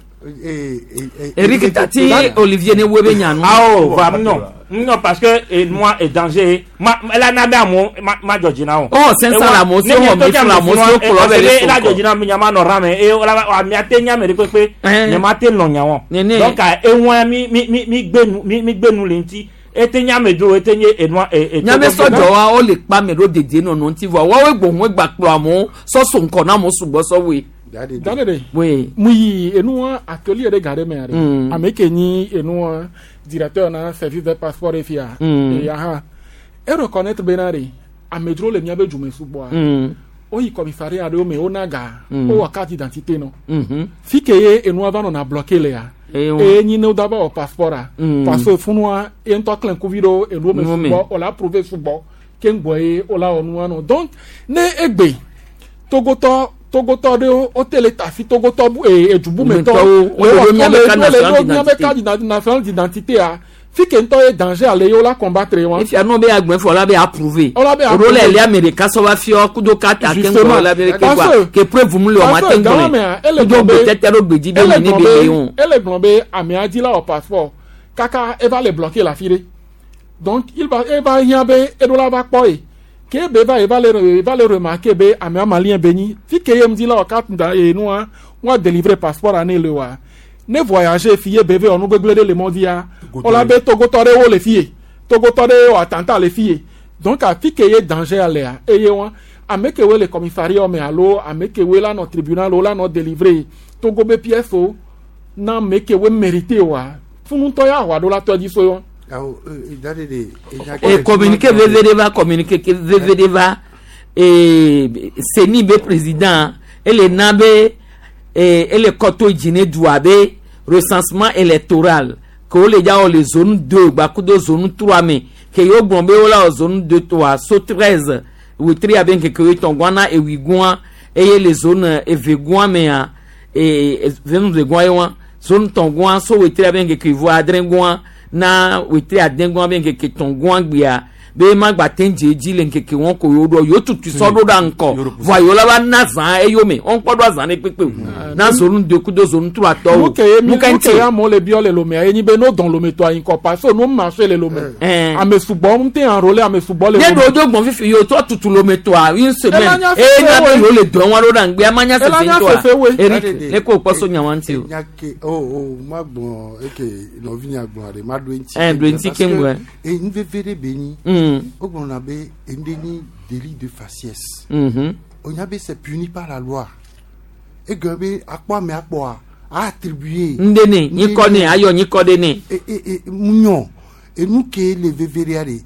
Eric Tati Olivier ne wo be nya nu. Awo va mu nyɔ mu nyɔ parce que enua est danger ma ela na be amewo ma ma dzɔ dzi na wo. Oh, 500 la amewo si wɔ mi fún amewo si wokplɔ be ɖe ela so dzɔ kɔ. dzi na mi nya ma nɔ rame eye wola amea te nya ame ɖe kpekpe nye ma te nɔ nya wɔ. Nene. Donc eŋua mi mi mi mi gbe nu mi mi gbe nu le ŋuti ete nya ame dro ete nye enua e e. Nya be sɔdzɔ wa wo le kpa me ɖo dedie nɔnɔ ŋuti vɔa woawoe gbɔn gba kplɔ amewo sɔ so ŋkɔ na amewo sugbɔ sɔ woe. Dane ɖe. Oui. Mu yi enua atelier ɖe ga ɖe mea ɖe. Ame ke nyi enua directeur na service de passeport ɖe fia. Eya hã. E reconnaître bena ɖe amedzro le miabe dzume sugbɔa. Woyi commissariat ɖewo me wona ga. Wowɔ carte d'identité nɔ. Fi ke ye enua va nɔna bloqué lea. Eye wɔn. Eye nyi ne wo da va wɔ passeport a. Parce que funua ye ŋutɔ klẽ ŋkuvi ɖo enuwo me Nuwo me. sugbɔ o la prouver sugbɔ ke ŋgbɔ ye o la wɔ nua nɔ. Donc ne egbe togotɔ togotɔ ɖewo wote le tafi togotɔ bu ee edubumetɔwo Metɔwo, wo le ɖo miabe carte wole ɖo nationale miabe d'identité. carte nationale d'identité a fi ke ŋutɔ ye danger ale ye wola combattre wa. Efia nɔ be agbɛn fɔ la be approuvé. Wola be O ɖo le approuvé. li ame ɖeka sɔ va fiɔ kudo carte ake Justement. ŋgɔ la be ke Parce quoi que- ke preuve mu le o ma parce te que ŋgɔ gama mea, ele le kudo gblɔ be- gbetete ɖo gbedzi be ele mi ne gblɔ be be ye o. ele gblɔ be amea dzi la wɔ passeport kaka eva le bloqué le afi ɖe donc il va eva hiã be eɖo la va kpɔ ye ke be va eva le eva le remarqué be amea malien be nyi fi ke ye ŋdi la wɔ carte da enua wa délivrer passeport a ne le wa ne voyager fi ye be ve wɔ nu gbegblẽ ɖe le mɔ dzia wola be togotɔ ɖewo le fi ye togotɔ ɖewo wɔ attentat le fi ye donc afi ke ye danger alea eye wa ame kewoe le commissariat me alo ame kewoe la nɔ tribunal wo la nɔ délivrer togo be pièce o na ame kewoe mérité wa funutɔ ya xɔ aɖo la tɔ dzi so yɔ. Awo, da de E communiqué veve ɖe va, communiqué ke veve ɖe va e CENI be président ele na be e ele kɔto dzi ne dua be recensement électoral ke wole dza wɔ le zone 2 gbakudo zone 3 me, ke yewo gblɔ be wola wɔ zone 2 toa so 13 wetri abe ŋkeke wuietɔ̃ gɔa na ewui gɔa, eye le zone eve gɔa mea e zone eve gɔa ye wa zone tɔ̃ gɔa so wetri abe ŋkeke wuieve adre gɔa na wetri ade gɔa be ŋkeke tɔ̃ gɔa gbea be ma gba te dze edzi le ŋkeke wɔn ko yewo ɖo yewo tutu sɔ ɖo ɖa ŋkɔ vɔa yewo la va na zã eyome wɔn kpɔ ɖo azã ɖe kpekpe o na zone 2 kudo zone 3 tɔwo. Nu ke ye mi Nu ka nu ŋuti ke ye amewo le biɔ le lomea ye nyi be no dɔn lome tɔa yi ŋkɔ parce que no marché le lome. Ame sugbɔ ŋute enrôler ame sugbɔ le ne lome. ɖewo do gbɔn fifi yewo trɔ tutu lome tɔa une semaine Ela nya eye na fefe be woe. yewo le dɔn wa ɖo ɖa ŋgbea ma nya Ela sese nya ŋutɔa fefe woe. Eric ne ko kpɔ so nya wa ŋuti o. Nya ke o o ma gblɔ eke nɔvi nya gblɔ ɖe ma ɖo eŋuti. Eh, ɖo eŋuti Parce keŋ que gblɔe. E nu veve ɖe be nyi. Wogblɔna be enu nyi délit de faciès. Onya be c'est puni par la loi. Egɔme be akpɔ ame akpɔa a attribuer. Ŋɖe ne nyikɔ ne ayɔ nyikɔ ɖe ne. E e e mu nyɔ enu ke le veve ɖea ɖe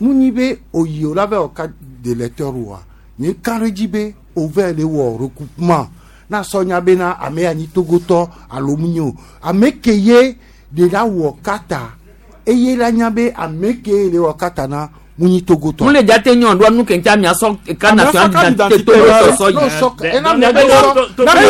mu nyi be oyi o la vɛ wɔ carte d'électeur oa nye ka ɖe edzi be o vɛ le wɔ recoupement na sɔ nya bena ame ya nyi togotɔ alo mu nyi o ame ke ye de la wɔ carte eye la nya be ame ke le wɔ carte na mu nyi togotɔ. Mu le dza te nyɔ ɖoa nu ke ŋuti amea sɔ carte Amea sɔ nationale carte d'identité d'identité togo la, sɔsɔ yi. no, sɔ- ena Eye mle gblɔ be na de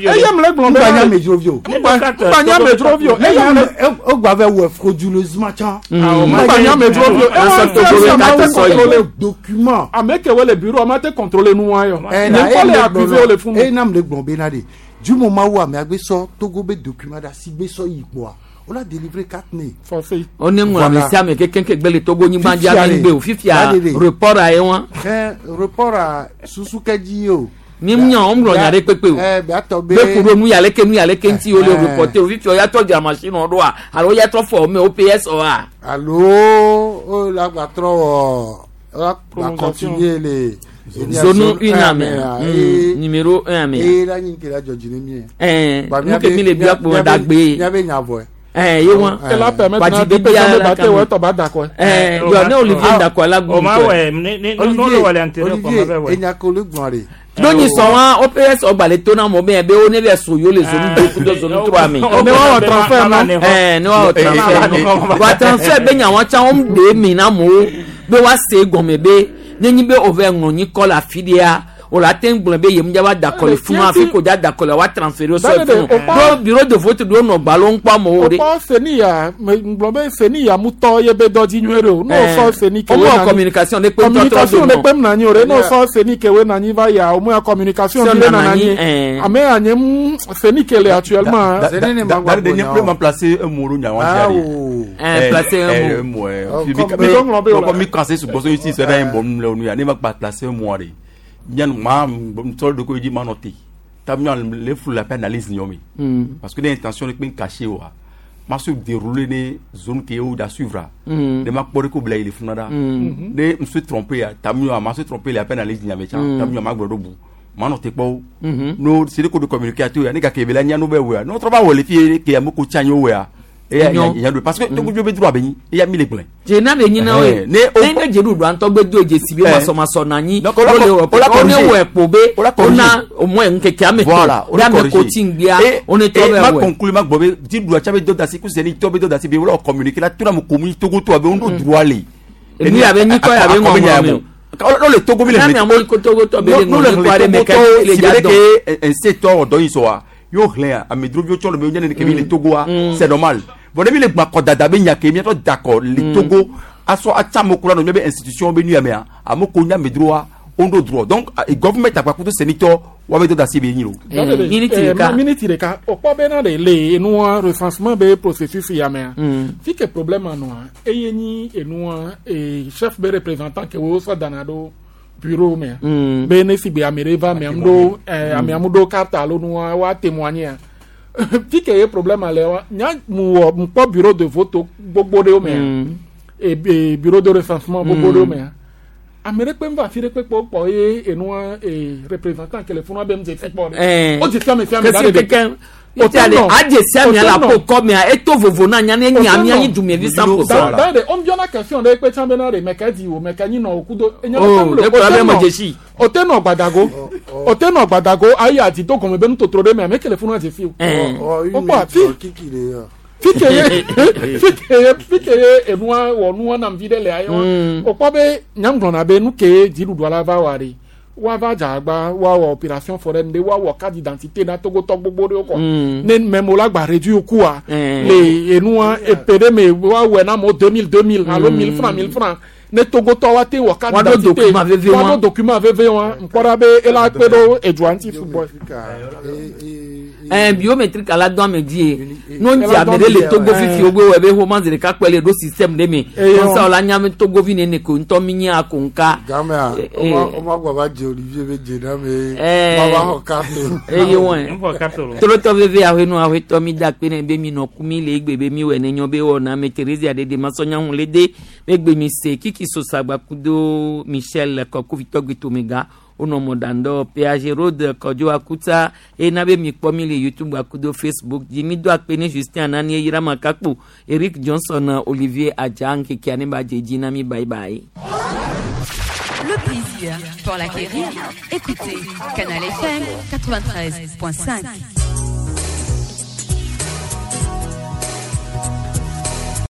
eye mle gblɔ be Ŋgba na nye amedzrovi o. Ŋgba nye amedzrovi o. Eye mle egba vɛ wɔ frauduleusement tsã. Ŋgba nye amedzrovi o. Ewɔ Ewa Togo fia be ma carte te sɔ yi. contrôler document. Ame ke wo le bureau ma te contrôler nu wa yɔ. Eh, Ne na kɔ eye le mle accusé gblɔ wo le funu. eye na mle gblɔ bena de du moment où amea gbe sɔ Togo be document ɖe asi gbe sɔ yi kpoa o la délivrer carte ne. Forfait. O ne ŋlɔ ame sia ame kekeŋ ke gbe le Togo nyigba dzi Fifia ame le. ŋgbe o fifia Da de de. report a ye wa. Ɛ report a susu kɛ dzi ye o. Mi nyɔ o ŋlɔ nya ɖe kpekpe o. Ɛ beatɔ be. Be ku ɖo nu ya leke nu ya leke ŋuti wo le Eh. reporter o fifia o ya trɔ dzra machine ɖoa alo ya trɔ fɔ me OPS oa. Alo o la gba trɔ wɔ o la gba Prolongation. continuer le. Zone une amea. Numéro 1 amea. Eye la nyi ke la dzɔ dzi ne mi ye. Eh, Ba nu mía ke be- mi le bia kpo mía be- dagbe. Mía be nya vɔe. Eh, ye wa. Ela permettre na Gbadzi deux personnes bia be la ba te kame. wɔ etɔ ba da kɔe. Eh, yɔ ne Olivier Ndakɔ la gu O ma ŋutɔe. wɛ ne ne ne wɔ le antérieur kɔ ma bɛ wɛ. Enya ko le gblɔ de. Lónìí sọ wọn OPS ọgbàlẹ̀ tó náà mọ̀ bẹ́ẹ̀ bẹ́ẹ̀ ó ní bẹ́ẹ̀ sọ yóò lè zone 2 kudo zone 3 mi. Ne wa wɔ transfert na. Ẹ ne wa wɔ transfert nɔ. Wa transfert bɛ nya wọn tsã wọn ɖe mi na mo be wa se gɔmɛ be nenyi be o vɛ ŋlɔ nyi kɔ le afi ɖea o la te gblɔ be yem dza va da kɔ le funu afi ko dza da kɔ le wa transfert sɔ Da de de, funu. o kpɔ- Do bureau de vote ɖo nɔ gbalo ŋkpɔ amewo de. O kpɔ seni ya me ŋgblɔ be seni ya mutɔ ye be dɔ dzi nyuie ɖe o. N'o Eh. sɔ seni ke O we mɔ na nyi- communication ne kpe ŋutɔ trɔ communication do ne mɔ. kpem na nyi o de n'o sɔ seni ke we na nyi va ya o mu ya communication Sɔ bi le nana nana nyi, nyi. eh. Ame ya nye mu seni ke le actuellement. Dari de nye ple placer un mot nya wa Ah, jari. o. Eh, placer un mot. Un mot. eh. Oh, Puis, comme- mi- Mi ko ŋlɔ be o la. mi- mi conseil sur bosso ici c'est un bon le nu ya ne ma pas placer un mot de. Nya ma sɔ de ko di ma noter. Ta nya le fou la peine analyse nyomi. Parce que l'intention de peine caché wa. Ma se dérouler ne zone qui est où da suivre. Ne ma kpɔ de ko bila ile funa da. Ne me suis trompé ya ta miɔ ma se trompé la peine analyse nyame tsa. Ta miɔ ma gblɔ ɖo bu. Ma nɔ te kpɔ o. No c'est de ko de communiquer ato ya ne ka kebe la nya no bɛ wɛ no trɔ va wɔ le fie ke ame ko tsa nyo wɛ eya Enyo. nya do parce que togo be droit be nyi eya mi le gblẽ. Dze na be nyi na Eh, we. ne o- Ne ne dze ɖuɖu antɔ gbe do dzesi be Eh. masɔmasɔ na anyi. Donc, o la O le co- wɔ o la o ne corriger. wɔ ekpo be O la o corriger. na au moins ŋkeke ame Voilà, tɔn be ame ko ti ŋgbea o ne trɔ et bɛ ma wɔ. conclure ma gbɔ be dziɖuɖua tsa be dɔ da si ku seni tɔ be dɔ da si be wala communiquer la tora mo komi togo to abe ŋdo droit le. Enu ya be nyikɔ ya be ŋɔŋlɔ me o. O le togo mi le Na mi amewo ko togo tɔ be le no le ŋlɔ nyikɔ aɖe me ke le si dza be dɔn. ke nsé tɔ dɔ yi sɔ wa yóò xlẽ amedroviwo tsɔ le be nye nene ke mi le togo wa c'est normal bon ne mi le gbakɔ dada be nya ke miatɔ dakɔ le togo asɔ atsa amewo kura nɔ mia be institution be nu ya mea amewo ko nye amedrowa wo ŋdo droit donc government akpakuto senitɔ wa be dɔ da si be nyi lo. Miniti Eh, ɖeka. miniti ɖeka o kpɔ bena de le enua recensement be processus ya mea. Fi ke problème nɔa eye nyi enua e chef be représentant ke wo sɔ dana ɖo bureau mea. Be ne si be ame ɖe va amea ŋu ɖo eh, amea ŋu ɖo carte alo nua woa témoigner fi ke ye problème le wa nya mu wɔ mu kpɔ bureau de vote gbogbo ɖewo mea. E bureau de recensement gbogbo ɖewo mea. Ame ɖe kpe ŋva afi ɖe kpe kpɔ kpɔ ye enua ee représentant ke le funua be ŋdze fi kpɔ Eh. ɖe. O dze fi ame fi ame Kesi da ɖe. keke ite ale adze sia mia la po kɔ mia eto vovo na nya ne nya mia nyi dumevi 100%. Da ɖe o biɔna question ɖe kpe tsã bena ɖe mɛka di o mɛka nyi nɔ o kudo. Oh, ne kplɔ be me dzesi. O te nɔ gbadago o te nɔ gbadago ayi adi do gɔme be nutotro ɖe me ame ke le funua dze fi o. Eh. O kpɔ afi fi ke ye fi ke ye fi ke ye enua wɔ nua nam vi ɖe le ayi wa o kpɔ be nyamgblɔna be nu ke ye dziɖuɖua la va wɔ ɖe woava dze agba woawɔ opération foraine ɖe woawɔ carte d'identité na togotɔ gbogbo ɖewo kɔ ne mɛmo la gba réduit kua le enua epe ɖe me woawɔe na amewo 2000 2000 alo 1000 francs 1000 francs ne togotɔ wa te wɔ carte Woaɖo d'identité document veve wa. woaɖo document veve wa ŋkpɔ ɖa be ela kpe ɖo edua ŋuti sugbɔ. ɛn biométrique ala dɔn ame dzi ye n'o dzi ame ɖe le togo fifi wo wɔ ebe xɔma zi ɖeka kpɛ le ɖo système ɖe me kɔnsa wòle anya togo vi nene ko ŋutɔ mi nye ako ŋka. Gamea, Eh, eh. woma gbɔ va dze Olivier be dze na me. Eh. Ma va xɔ carte. eye wɔn tolotɔ veve ahenu ahwetɔ mi da kpe ne be mi nɔ ku mi le egbe be mi wɔ ne nyɔ be wɔ na ame Thérésia ɖe de masɔnya ŋu le de be gbe mi se kiki sosagba kudo Michel kɔkuvitɔ gbetomega wonɔ mɔɖaŋdɔ PAG Road Kɔdzo Akuta ena be mi kpɔ mi le YouTube akudo Facebook dzi mi do akpe ne Justin Anani Eyirama Kakpo Eric Johnson Olivier Adja ŋkekea ne ba dze dzi na mi bye bye. Le plaisir pour l'acquérir. Écoutez Canal FM 93.5.